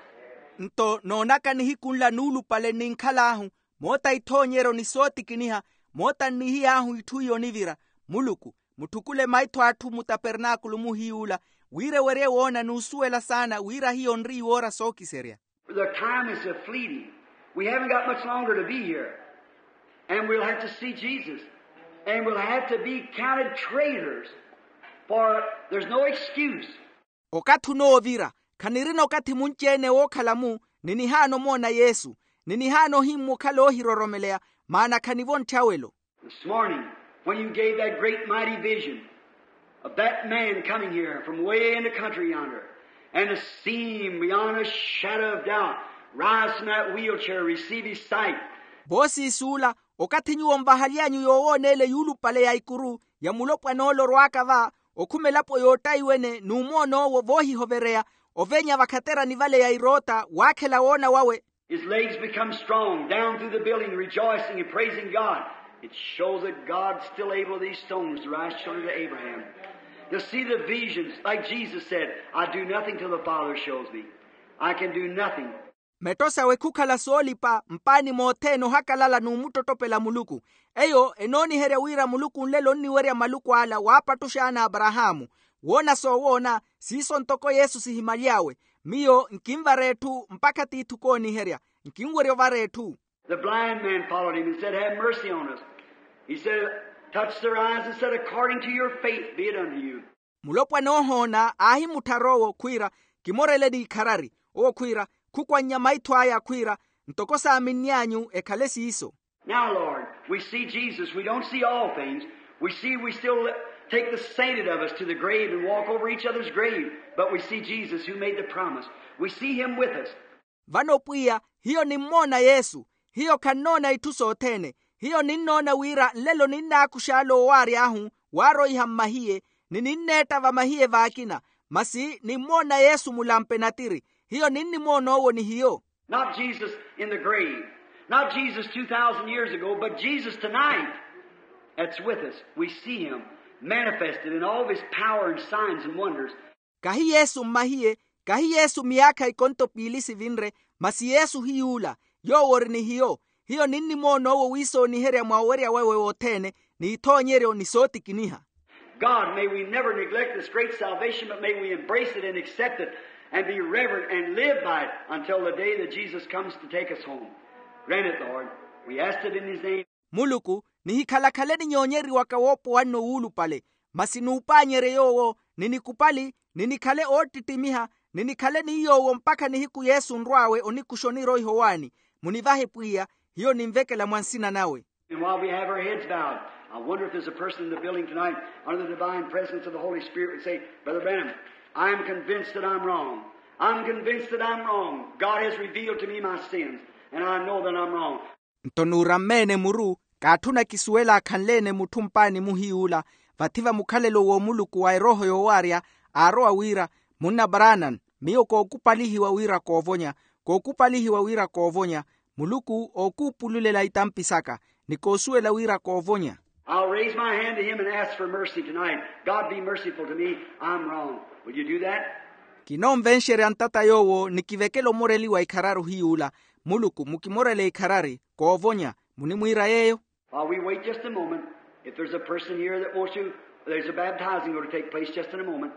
Nto noonaka nihiku nla nuulupale nninkhal'ahu, moota ithoonyeryo ni sootikiniha, moota nnihiy'ahu itthu iyo nivira. Muluku, mutthukule maitho atthu mutapernaakulu muhiy'ula, wira ewerye woona n'usuwela saana wira hiyo nri iwoora sookiserya. The time is a fleeting. We haven't got much longer to be here. And we'll have to see Jesus. And we'll have to be counted traitors. For there's no excuse. Okathi onoovira, khanirina okathi munci-ene wookhala-mu, ni nihaana omoona yesu, ni nihaana ohimmukhala oohiroromeleya, maana khanivo ntthawelo. This morning, when you gave that great mighty vision of that man coming here from way in the country yonder, and to see him beyond a shadow of doubt, Rise from that wheelchair, receive his sight. Voosiisuula, okathi nyuwo nvahaly'anyu yoowooneele yuulupale ya ikuru ya mulopwan'ole orwaaka va, okhuma elapo yoottaiwene n'umoon'owo voohihovereya, ovenya vakhaterani vale ya iroota waakhela woona wawe. His legs become strong, down through the building, rejoicing and praising God. It shows that God's still able these stones to rise children to Abraham. To see the visions, like Jesus said, "I do nothing till the Father shows me. I can do nothing." Metto sawe khukhala soolipa mpaani mothene ohakalala n'umuttottopela muluku. Eyo enooniherya wira muluku nlelo onniwerya maluku ala waapattuxa ana aparahaamu, woona soowoona. Siiso ntoko yesu sihimaly'awe, miyo nkinvara etthu mpakha tiithi okooniherya. Nkinwerya ovara etthu. The blind man followed him and said, "Have mercy on us." He said, touched their eyes and said, "According to your faith be it unto you." Mulopwana oohoona aahimutthar'owo khwiira, kimorele n'ikharari. Owo khwiira, khukwannya maitho aya khwiira, ntoko saaminny'anyu ekhale siiso. Now, Lord, we see Jesus. We don't see all things. We see we still take the sainted of us to the grave and walk over each other's grave. But we see Jesus who made the promise. We see him with us. Vano pwiya, hiyo nimmoona yesu. Hiyo khannoona itthu sothene. Hiyo ninnoona wira nlelo ninnaakux'ale owaary'ahu waaroiha mmahiye, ni ninneetta vamahiye vaakina. Masi nimmoona yesu mulampe natiri. Hiyo ninnimoon'owo ni hiyo. Not Jesus in the grave, not Jesus two thousand years ago, but Jesus tonight that's with us. We see him manifested in all of his power and signs and wonders. Kahi yesu mmahiye, kahi yesu miyaakha ikonto piili sivinre, masi yesu hiy'ula. Yoowo ori ni hiyo. Hiyo ninnimoon'owo wiisooniherya mwa owerya wawe wothene, n'ithoonyeryo ni sootikiniha. God, may we never neglect this great salvation, but may we embrace it and accept it and be reverent and live by it until the day that Jesus comes to take us home. Grant it, Lord. We ask it in his name. Muluku, nihikhalakhale ninyoonyeriwaka woopowa nno wuulupale, masi nuupaanyerye yoowo, ni nikupali, ni nikhale oottittimiha, ni nikhale ni yoowo mpakha nihiku yesu onrw'awe onikuxa oniroiha owaani. Munivahe pwiya, hiyo ninvekela mwa nsina nawe. And while we have our heads bowed, I wonder if there's a person in the building tonight under the divine presence of the Holy Spirit would say, "Brother Branham, I'm convinced that I'm wrong. I'm convinced that I'm wrong. God has revealed to me my sins, and I know that I'm wrong." Nto nuurammeene muru, kaatthuna kisuwela akhanleene mutthu mpaani muhiy'ula, vathi va mukhalelo w'omuluku wa erooho yoowaarya, aarowa wira, munna branham, miyo kookupalihiwa wira koovonya, kookupalihiwa wira koovonya. Muluku ookuupululela itampi saka, ni koosuwela wira koovonya. I'll raise my hand to him and ask for mercy tonight. God, be merciful to me. I'm wrong. Will you do that? Kinoonvenxerya ntata yoowo ni kivekela omoreliwa ikhararu hiy'ula. Muluku mukimorele ikhararu, koovonya. Munimwiira yeeyo? While we wait just a moment, if there's a person here that wants to, there's a baptizing going to take place just in a moment.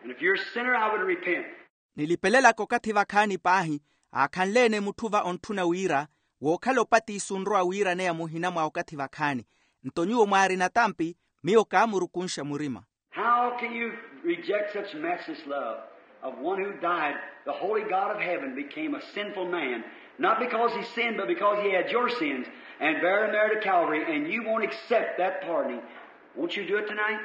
And if you're a sinner, I would repent. Nilipelelaka okathi vakhaani paahi, aakhanleene mutthu va ontthuna wira, wookhala opatiso onrowa wiiraneya muhina mwa okathi vakhaani. Nto nyuwo mwaarina tampi, miyo kaamurukunxa murima. How can you reject such matchless love of one who died? The holy God of heaven became a sinful man, not because he sinned, but because he had your sins, and bare them there to Calvary, and you won't accept that pardoning. Won't you do it tonight?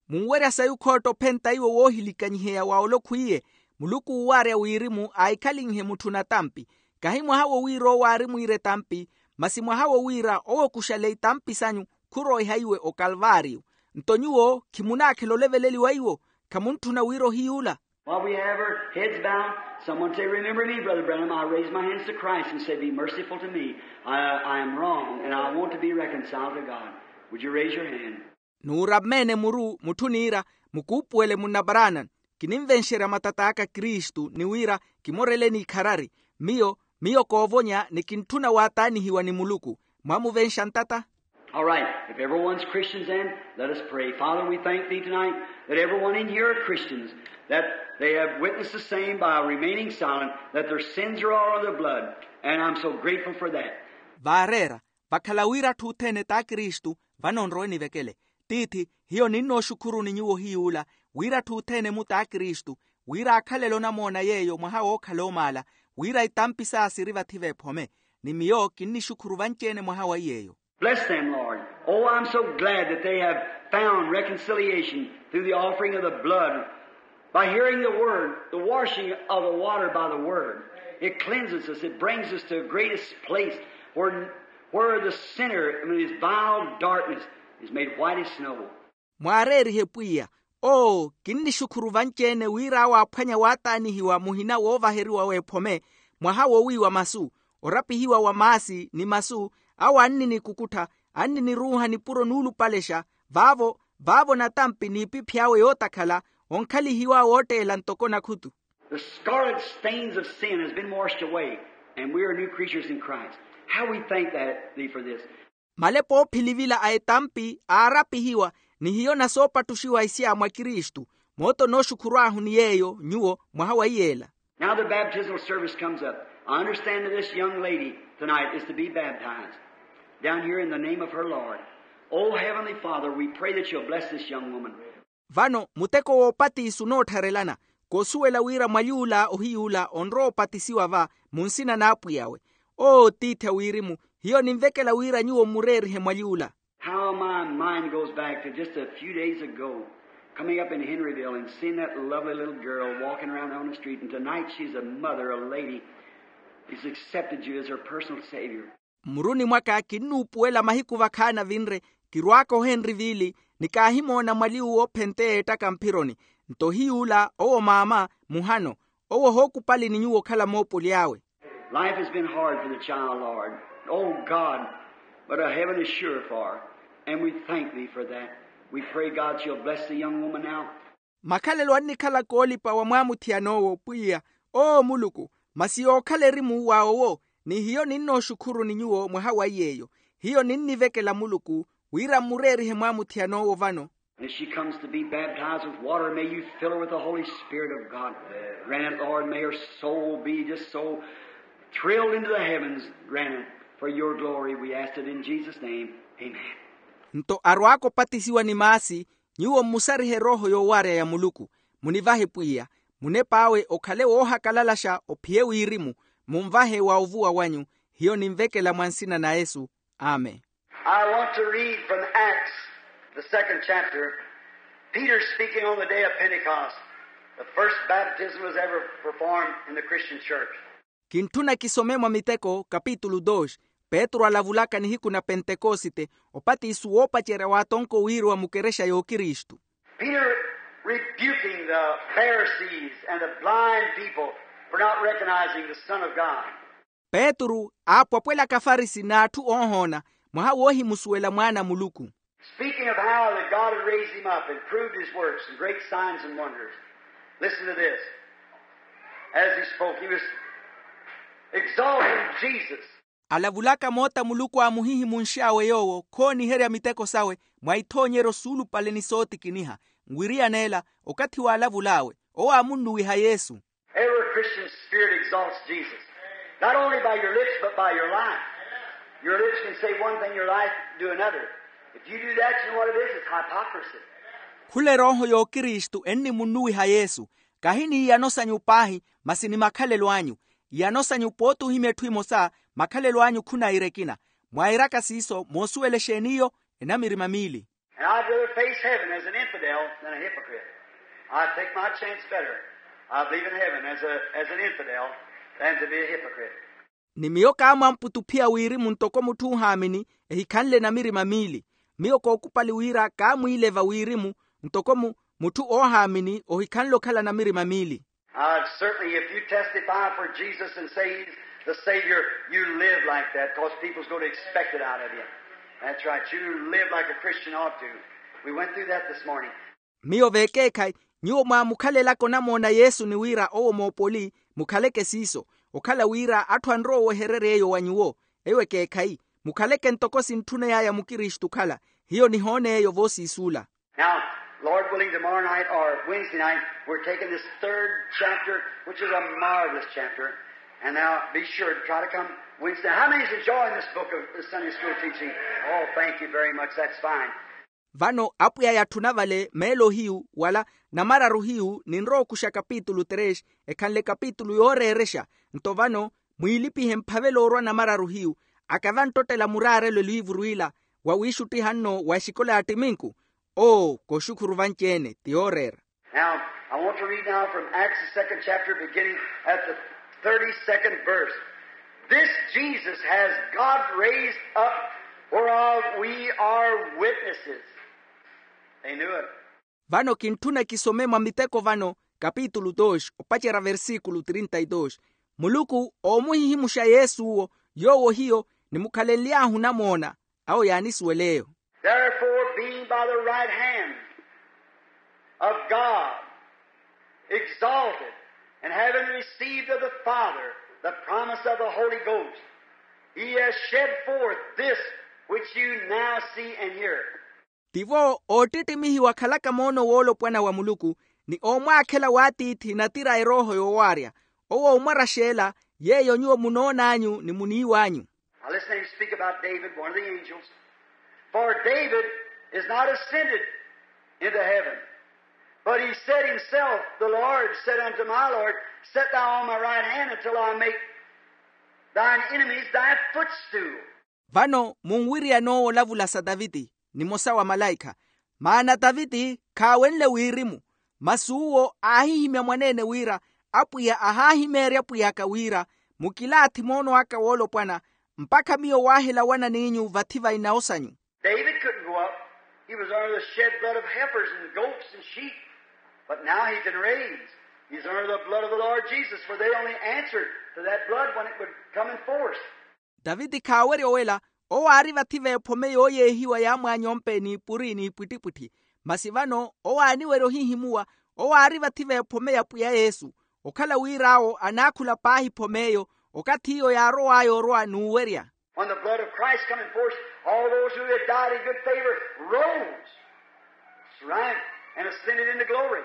Munwerya sayi okhootta ophenta iwo woohilikanyiheya wa olokhwiye? Muluku uuwaarya wirimu aahikhalinhe mutthu natampi. Kahi mwaha wo wira owo aarimwiire tampi, masi mwaha wo wira owo okuxale itampi sanyu khuroiha iwe okalvaariyo. Nto nyuwo khimunaakhela oleveleliwa iwo? Khamuntthuna wira ohiy'ula? While we have our heads bowed, someone say, "Remember me, Brother Branham. I raise my hands to Christ and say, 'Be merciful to me. I, I am wrong, and I want to be reconciled to God.' Would you raise your hand?" Nuurammeene muru mutthu niira, mukuupuwele munna branham, kininvenxerya matat'aka kristu ni wira kimorele n'ikharari. Miyo, miyo koovonya ni kintthuna waataanihiwa ni muluku. Mwamuvenxa ntata? All right, if everyone's Christians, then let us pray. Father, we thank thee tonight that everyone in here are Christians, that they have witnessed the same by remaining silent, that their sins are all under the blood, and I'm so grateful for that. Vaareera, vakhala wira atthu othene t'akristu. Vano nrowe nivekele. Tiithi, hiyo ninnooxukhuruni nyuwo hiy'ula, wira atthu othene-mu t'akristu, wira aakhalele onamoona yeeyo mwaha wookhala omaala, wira itampi saya siri vathi v'ephome. Ni miyo kinnixukhuru vanci-ene mwaha wa iy'eyo. Bless them, Lord. Oh, I'm so glad that they have found reconciliation through the offering of the blood, by hearing the word, the washing of the water by the word. It cleanses us. It brings us to the greatest place where, where the sinner in his vile darkness is made white as snow. Mwaareerihe pwiya. Oo, kinnixukhuru vanci-ene wira awo aaphwanya waataanihiwa muhina woovaheriwa w'ephome, mwaha wowiiwa masu, orapihiwa wa maasi ni masu, awo anninikukuttha, anniniruuha nipuro nuulupalexa, vaavo vaavo natampi n'ipiphi awe yootakhala, onkhalihiwa wootteela ntoko nakhutu. The scarlet stains of sin has been washed away, and we are new creatures in Christ. How we thank that thee for this. Malepa oophilivila a etampi aarapihiwa, ni hiyo nasoopattuxiwa isya mwa kristu. Moota onooxukhuru ahu ni yeeyo nyuwo mwaha wa iyeela. Now the baptismal service comes up. I understand that this young lady tonight is to be baptized down here in the name of her Lord. Oh, Heavenly Father, we pray that you'll bless this young woman. Vano muteko woopatiisa onoottharelana. Koosuwela wira mwaly'ula ohiy'ula onrowa opatisiwa va, mu nsina n'apwiy'awe. Oo tiithi a wirimu, hiyo ninvekela wira nyuwo mmureerihe mwaly'ula. How my mind goes back to just a few days ago, coming up in Henryville and seeing that lovely little girl walking around on the street, and tonight she's a mother, a lady, has accepted you as her personal Savior. Mmuruni mwaka kinnuupuwela mahiku vakhaana vinre, kirwaaka ohenri viili, ni kaahimoona mwali uwo ophenteya ettaka mphironi. Nto hiy'ula owo maama, muhano owo ohookupali ni nyuwo okhala moopoli awe. Life has been hard for the child, Lord. Oh God, but a heaven is sure for her, and we thank thee for that. We pray God you'll bless the young woman now. Makhalelo annikhala koolipa wa mwaamuthiyana owo pwiya. Oo muluku, masi yookhala erimu wa owo. Ni hiyo ninnooxukhuru ni nyuwo mwaha wa iy'eyo. Hiyo ninnivekela muluku wira mmureerihe mwaamuthiyana owo vano. As she comes to be baptized with water, may you fill her with the Holy Spirit of God. Grant it, Lord, may her soul be just so thrilled into the heavens. Grant it for your glory. We ask it in Jesus' name. Amen. Nto arwaaka opatisiwa ni maasi, nyuwo mmusarihe erooho yoowarya ya muluku. Munivahe pwiya, munep'awe okhale woohakalalaxa ophiye wirimu. Munvahe wa ovuwa wanyu. Hiyo ninvekela mwa nsina na yesu. Amen. I want to read from Acts, the second chapter. Peter speaking on the day of Pentecost, the first baptism was ever performed in the Christian church. Kintthuna kisome mwa miteko kapitulu dos. Petru alavulaka nihiku na pentekosite, opatisu woopacerya waatonko wiiriwa mukerexa y'okristu. Peter rebuking the Pharisees and the blind people for not recognizing the Son of God. Petru aapwapwelaka afarisi n'atthu oohoona mwaha woohimusuwela mwaana a muluku. Speaking of how that God had raised him up and proved his works and great signs and wonders. Listen to this. As he spoke, he was exalting Jesus. Alavulaka moota muluku aamuhihimunx'awe yoowo khooniherya miteko sawe mwa ithoonyeryo suulupale ni sootikiniha. Nwiriyan'ela okathi waalavul'awe owo aamunnuwiha yesu. Every Christian spirit exalts Jesus, not only by your lips, but by your life. Your lips can say one thing, your life do another. If you do that, you know what it is? It's hypocrisy. Khula erooho y'okristu ennimunnuwiha yesu. Kahi n'iyano sanyu paahi, masi ni makhalelo anyu. Iyano sanyu pooti ohimya etthu emosa, makhalelo anyu khunaira ekina. Mwairaka siiso moosuwela exeen'iyo? Enamirima miili. And I'd rather face heaven as an infidel than a hypocrite. I take my chance better. I believe in heaven as a, as an infidel than to be a hypocrite. Ni miyo kaamwamputa ophiya wirimu ntoko mutthu oohaamini, ehikhanle namirima miili. Miyo kookupali wira kaamwiileva wirimu ntoko mu mutthu oohaamini ohikhanle okhala namirima miili. Uh, certainly, if you testify for Jesus and say he's the Savior, you live like that, 'cause people's going to expect it out of you. That's right. You live like a Christian ought to. We went through that this morning. Miyo vekeekhayi, nyuwo mwaamukhalelaka onamoona yesu ni wira owo moopoli, mukhaleke siiso. Okhala wira atthu anrowa owehererya eyo wa nyuwo. Eyo ekeekhayi. Mukhaleke ntoko sintthuney'aya mukristu okhala. Hiyo nihoona eyo voosiisuula. Now, Lord willing, tomorrow night or Wednesday night, we're taking this third chapter, which is a marvelous chapter. And now be sure to try to come Wednesday. How many's enjoying this book of the Sunday school teaching? Oh, thank you very much. That's fine. Vano apwiya yatthuna vale meelo hiyu wala namararu hiyu ninrowa okuxa kapitulu tres, ekhanle kapitulu yooreerexa. Nto vano mwiilipihe mphavela oorwa namararu hiyu. Aka vanttottela muraarelo eliivuru ila wa wiixuttiha nno wa exikola ya ttiminku. Oo kooxukhuru vanci-ene ti yooreera. Now, I want to read now from Acts, the second chapter, beginning at the Thirty-second verse. This Jesus has God raised up, whereof we are witnesses. They knew it. Vano kintthuna kisome mwa miteko vano, kapitulu dos opacerya versikulu trinta y dos. Muluku oomuhihimuxa yesu owo, yoowo hiyo nimukhalenly'ahu namoona. Awo yaanisuwela eyo. Therefore, being by the right hand of God exalted, and having received of the Father the promise of the Holy Ghost, he has shed forth this which you now see and hear. Tivo oottittimihiwa akhalaka moono woolopwana wa muluku, ni oomwaakhela w'atiithi natira a erooho yoowaarya. Owo omwaraxa ela yeeyo nyuwo munoon'anyu ni muniiw'anyu. Now listen, he speak about David, one of the angels. For David is not ascended into heaven, but he said himself, the Lord said unto my Lord, sit thou on my right hand until I make thine enemies thy footstool. Vano munwiriyane owo olavula sa taviti, nimosa wa malaikha. Maana taviti khaawenle wirimu, masi uwo aahihimya mwaneene wira, apwiya ahaahimeerya pwiy'aka wira, mukilaathi moono aka woolopwana, mpakha miyo waahela wananiinyu vathi va inawo sanyu. David couldn't go up. He was under the shed blood of heifers and goats and sheep. But now he can raise. He's under the blood of the Lord Jesus, for they only answered to that blood when it would come in force. Taviti khaawerya owela, owo aari vathi v'ephome yooyeehiwa ya mwaanyompe n'ipuri n'ipwittipwitthi. Masi vano owo aaniwerya ohihimuwa, owo aari vathi v'ephome ya pwiya yesu, okhala wira awo anaakhula paahi ephom'eyo, okathi iyo yaarow'aya orwa n'uwerya. When the blood of Christ coming forth, all those who had died in good favor rose. That's right. And ascended into glory.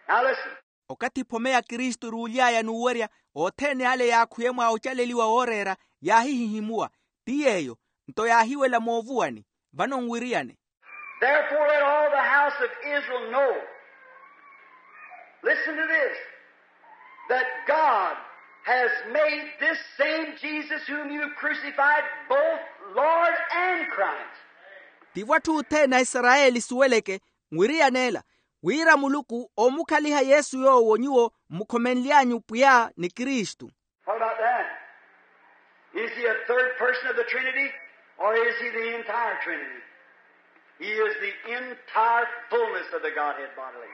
Now listen. Okathi ephome ya kristu eruuly'aya n'uwerya, othene ale yaakhwiye mwa ocaleliwa wooreera, yaahihihimuwa. Ti yeeyo nto yaahiwela moovuwani. Vano nwiriyane. Therefore let all the house of Israel know, listen to this, that God has made this same Jesus whom you crucified both Lord and Christ. Tivo atthu othene a isarayeli suweleke, nwiriyane ela, wira muluku oomukhaliha yesu yoowo nyuwo mmukhomenly'anyu pwiya ni kristu. What about that? Is he a third person of the Trinity, or is he the entire Trinity? He is the entire fullness of the Godhead bodily.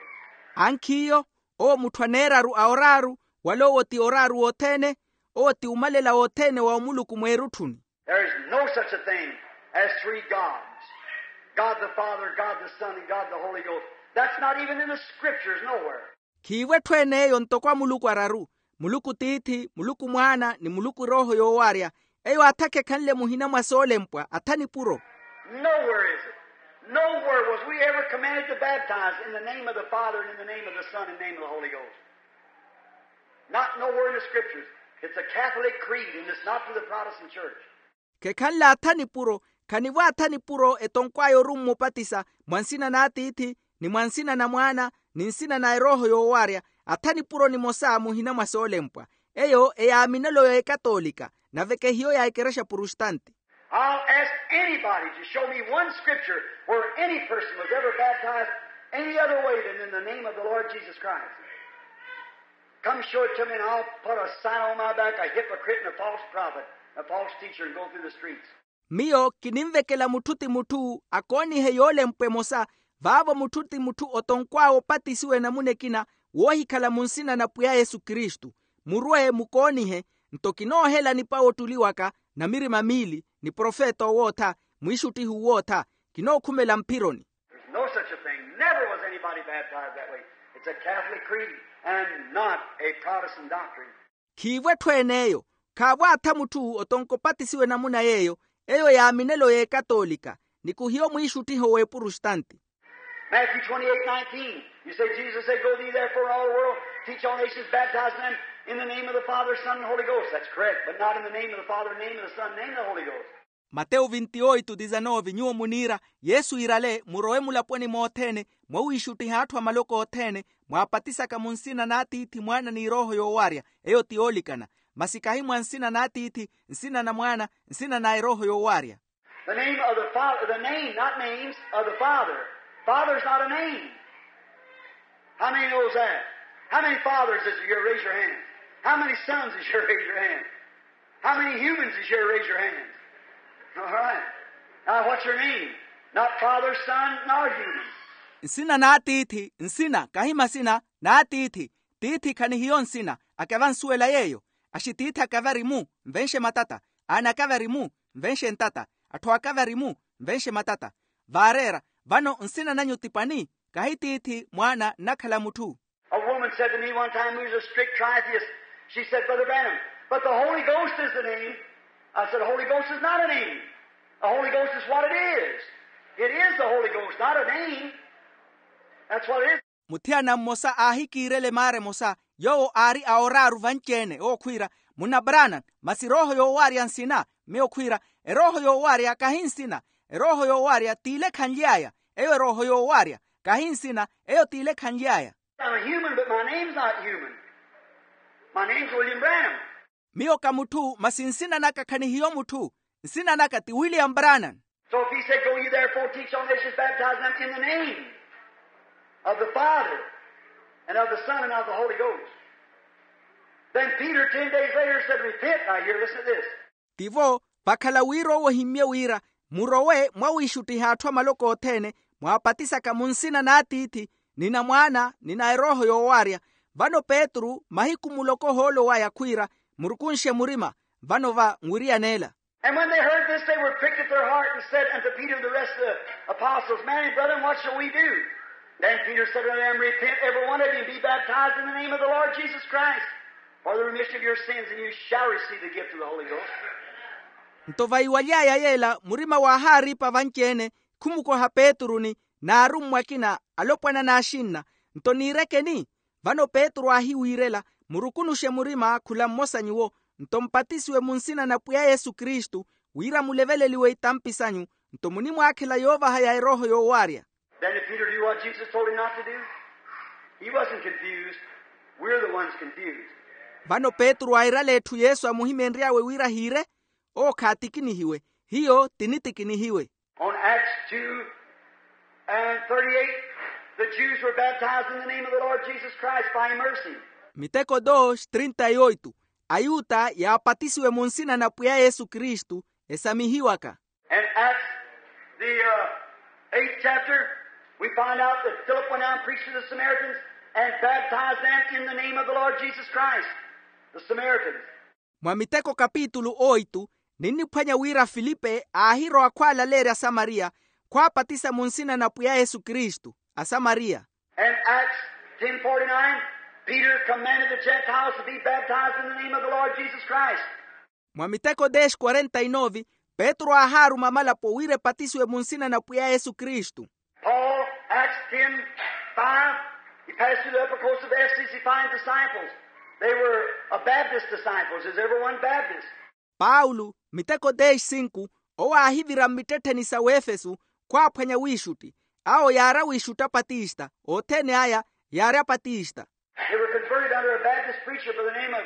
Ankhiyo, owo mutthu aneeraru a oraaru, wala owo ti oraaru wothene, owo ti umalela wothene wa omuluku mweerutthuni. There is no such a thing as three gods, God the Father, God the Son, and God the Holy Ghost. That's not even in the scriptures nowhere. Khiivo etthu en'eyo ntoko a muluku araru, muluku tiithi, muluku mwaana ni muluku erooho yoowaarya. Eyo atha khekhanle muhina mwa soolempwa, atha nipuro. Nowhere is it. Nowhere was we ever commanded to baptize in the name of the Father and in the name of the Son and name of the Holy Ghost. Not nowhere in the scriptures. It's a Catholic creed, and it's not to the Protestant church. Khekhanle atha nipuro, khanivo atha nipuro etonkw'aya orummupatisa mwa nsina n'atiithi, ni mwa nsina na mwaana, ni nsina na erooho yoowaarya. Atha nipuro nimosa muhina mwa soolempwa. Eyo eyaaminelo y'ekatoolika, nave kehiyo ya ekerexa prustanti. I'll ask anybody to show me one scripture where any person was ever baptized any other way than in the name of the Lord Jesus Christ. Come show it to me, and I'll put a sign on my back, a hypocrite and a false prophet, a false teacher, and go through the streets. Miyo kinimvekela mutthu ti mutthu akoonihe yoolempwa emosa, vaavo mutthu ti mutthu otonkw'awe opatisiwa enamuna ekina, woohikhala mu nsina na pwiya yesu kristu. Murwe mukoonihe, nto kinoohela nipawo ottuli waka, na mirima miili, ni profeta owootha, mwiixuttihi uwootha. Kinookhumela mphironi. There's no such a thing. Never was anybody baptized that way. It's a Catholic creed and not a Protestant doctrine. Khiivo etthu en'eyo. Khaavo atha mutthu otonka opatisiwa enamuna y'eyo. Eyo yaaminelo y'ekatoolika, ni khuhiyo mwiixuttiho w'epurustanti. Matthew twenty-eight nineteen, you say, Jesus said, go thee therefore in all the world, teach all nations, baptizing them in the name of the Father, Son, and Holy Ghost. That's correct, but not in the name of the Father, name of the Son, name of the Holy Ghost. Matewu vinti oito disanove, nyuwo muniira, yesu iirale murowe mulaponi mothene, mwawiixuttiha atthu a maloko othene, mwaapatisaka mu nsina n'atiithi, mwaana ni erooho yoowaarya. Eyo ti yoolikana. Masi kahi mwa nsina n'atiithi, nsina na mwaana, nsina na erooho yoowaarya. The name of the Father, the name, not names, of the Father. Father's not a name. How many knows that? How many fathers is here? Raise your hand. How many sons is here? Raise your hand. How many humans is here? Raise your hands. All right. Now, what's your name? Not Father, Son, nor human. Nsina n'atiithi, nsina kahi masina n'atiithi. Tiithi khanihiyo nsina. Akeva nsuwela yeeyo. Axi tiithi akeva ari-mu, nvenxe matata. Aana akeva ari-mu, nvenxe ntata. Atthu akeva ari-mu, nvenxe matata. Vaareera. Vano nsina nanyu ti pani? Kahi tiithi, mwaana nnakhala mutthu. A woman said to me one time, who's a strict tritheist, she said, Brother Branham, but the Holy Ghost is the name. I said, the Holy Ghost is not a name. The Holy Ghost is what it is. It is the Holy Ghost, not a name. That's what it is. Muthiyana mmosa aahikiirele maara emosa, yoowo aari a oraaru vanci-ene owo khwiira, munna Branham, masi erooho yoowaarya nsina? Miyo khwiira, erooho yoowaarya kahi nsina. Erooho yoowaarya t'ile khanly'aya. Eyo erooho yoowaarya, kahi nsina. Eyo t'ile khanly'aya. I'm a human, but my name's not human. My name's William Branham. Miyo ka mutthu, masi nsina naka khanihiyo mutthu. Nsina naka ti William Branham. So if he said, go ye therefore, teach all nations, baptize them in the name of the Father and of the Son and of the Holy Ghost, then Peter ten days later said, repent. Now here, listen to this. Tivo, vakhala wira owo ohimmye wira, murowe mwawiixuttiha atthu a maloko othene, mwaapatisaka munsina n'atiithi, ni na mwaana ni na erooho yoowaarya. Vano petru mahiku muloko ohoolo waya khwiira, murukunxe murima. Vano va nwiriyan'ela. And when they heard this, they were pricked at their heart, and said unto Peter and the rest of the apostles, man and brethren, what shall we do? Then Peter said unto them, repent every one of you, and be baptized in the name of the Lord Jesus Christ for the remission of your sins, and you shall receive the gift of the Holy Ghost. Nto vaiwaly'aya yeela murima waahaariipa vanci-ene, khumukoha petru ni n'arummwa akina alopwana n'axinna. Nto niirekeni? Vano petru aahiwiirela, murukunuxe murima khula mmosa nyuwo, nto mpatisiwe munsina na pwiya yesu kristu, wira muleveleliwe itampi sanyu, nto munimwaakhela yoovaha ya erooho yoowaarya. Then did Peter do what Jesus told him not to do? He wasn't confused. We're the ones confused. Vano petru airale etthu yesu amuhimeenry'awe wira hiire. Owo khaatikinihiwe. Hiyo tinitikinihiwe. On Acts two and thirty-eight, the Jews were baptized in the name of the Lord Jesus Christ by immersing. Miteko dos trinta y oito. Ayuta yaapatisiwe munsina na pwiya yesu kristu, esamihiwaka. And Acts, the uh, eighth chapter, we find out that Philip went out and preached to the Samaritans and baptized them in the name of the Lord Jesus Christ. The Samaritans. Mwa miteko kapitulu oitu, ninniphwanya wira filipe aahirowa khwaalaleerya asamariya, khwaapatisa munsina na pwiya yesu kristu. Asamariya. And Acts ten forty-nine, Peter commanded the Gentiles to be baptized in the name of the Lord Jesus Christ. Mwa miteko dez quarenta y nove, petru aahaaruma amalapo wira epatisiwe munsina na pwiya yesu kristu. Paul, Acts ten five, he passed through the upper coast of Ephesus, he finds disciples. They were a Baptist disciples. Is everyone Baptist? Paulo, miteko dez cinco, owo aahivira mmittettheni sa wefeso, khwaaphwanya wiixutti. Awo yaari awiixutti apatista, othene aya yaari apatista. They were converted under a Baptist preacher by the name of,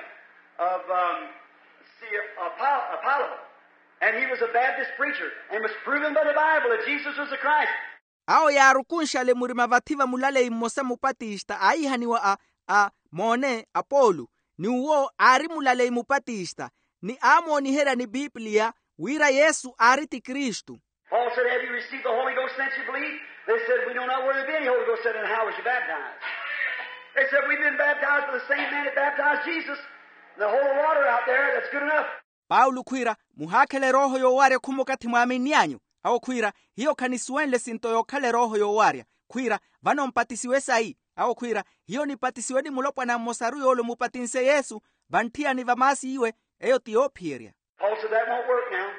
of um, see, Apollo. And he was a Baptist preacher and was proven by the Bible that Jesus was the Christ. Awo yaarukunxale murima vathi va mulaleyi mmosa mupatista aihaniwa a a moone apolo, ni uwo aari mulaleyi mupatista, ni aamooniherya ni pipliya wira yesu aari ti kristu. Paul said, have you received the Holy Ghost since you believed? They said, we know not where there be any Holy Ghost. Said, and how was you baptized? They said, we've been baptized by the same man that baptized Jesus. And the holy water out there, that's good enough. Paulo khwiira, muhaakhela erooho yoowaarya khuma okathi mwaaminny'anyu? Awo khwiira, hiyo khanisuwenle esinto yookhala erooho yoowaarya. Khwiira, vano mpatisiwe sayi? Awo khwiira, hiyo nipatisiwe ni mulopwana mmosaru yoole omupatinse yesu, vantthiyani va maasi iwe. Eyo ti yoophiyerya. Paul said, that won't work now.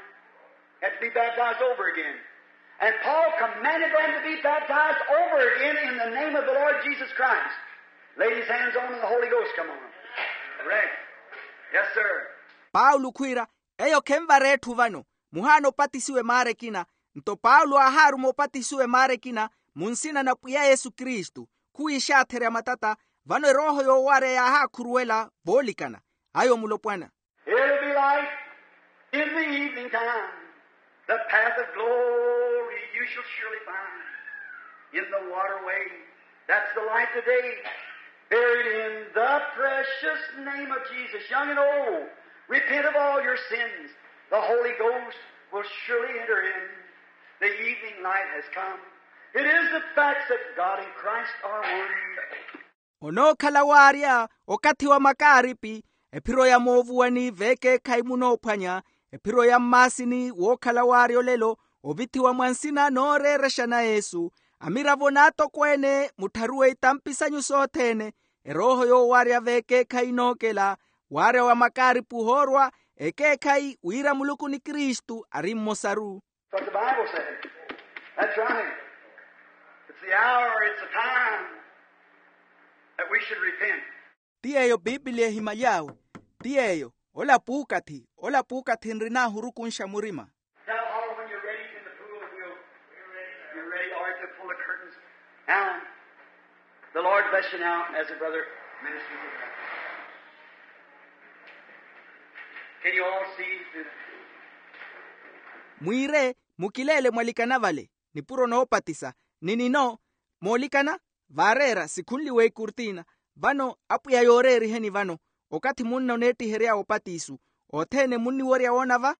Have to be baptized over again. And Paul commanded them to be baptized over again in the name of the Lord Jesus Christ. Laid his hands on them and the Holy Ghost come on them. Correct. Yes, sir. Paulo khwiira, eyo khenvara etthu vano, muhaana opatisiwe maara ekina. Nto paulo aahaaruma opatisiwe maara ekina, munsina na pwiya yesu kristu, khuwiixaatherya matata. Vano erooho yoowaarya yaahaakhuruwela voolikana. Ayo mulopwana. It'll be light in the evening time. The path of glory you shall surely find. In the waterway, that's the light today. Buried in The precious name of Jesus, young and old, repent of all your sins. The Holy Ghost will surely enter in. The evening light has come. It is the facts that God and Christ are one. Onookhala waarya okathi wa makaaripi, ephiro ya moovuwani veekeekhayi munoophwanya, ephiro ya mmaasini wookhala waarya olelo, ovithiwa mwa nsina nooreerexa na yesu, amiravo n'atokweene muttharuwe itampi sanyu sothene, erooho yoowarya veekeekhayi inookela, waarya wa makaaripi ohoorwa, ekeekhayi wira muluku ni kristu ari mmosaru. But the Bible says, that's right. It's the hour, it's the time that we should repent. Ti yeeyo piipiliya ehimaly'awe. Ti yeeyo, ola puukathi ola puukathi nrin'ahurukunxa murima. Now, all when you're ready in the pool, we'll, you're ready, all right, to pull the curtains. Now, the Lord bless you now as a brother ministers. Can you all see through the pool? Mwiire, mukileele mwalikana vale, nipuro noopatisa, ni nino, moolikana, vaareera sikhunliwe ikurtina. Vano apwiya yooreeriheni vano, okathi munna oneettihery'awe opatisu, othene munniwerya woona va.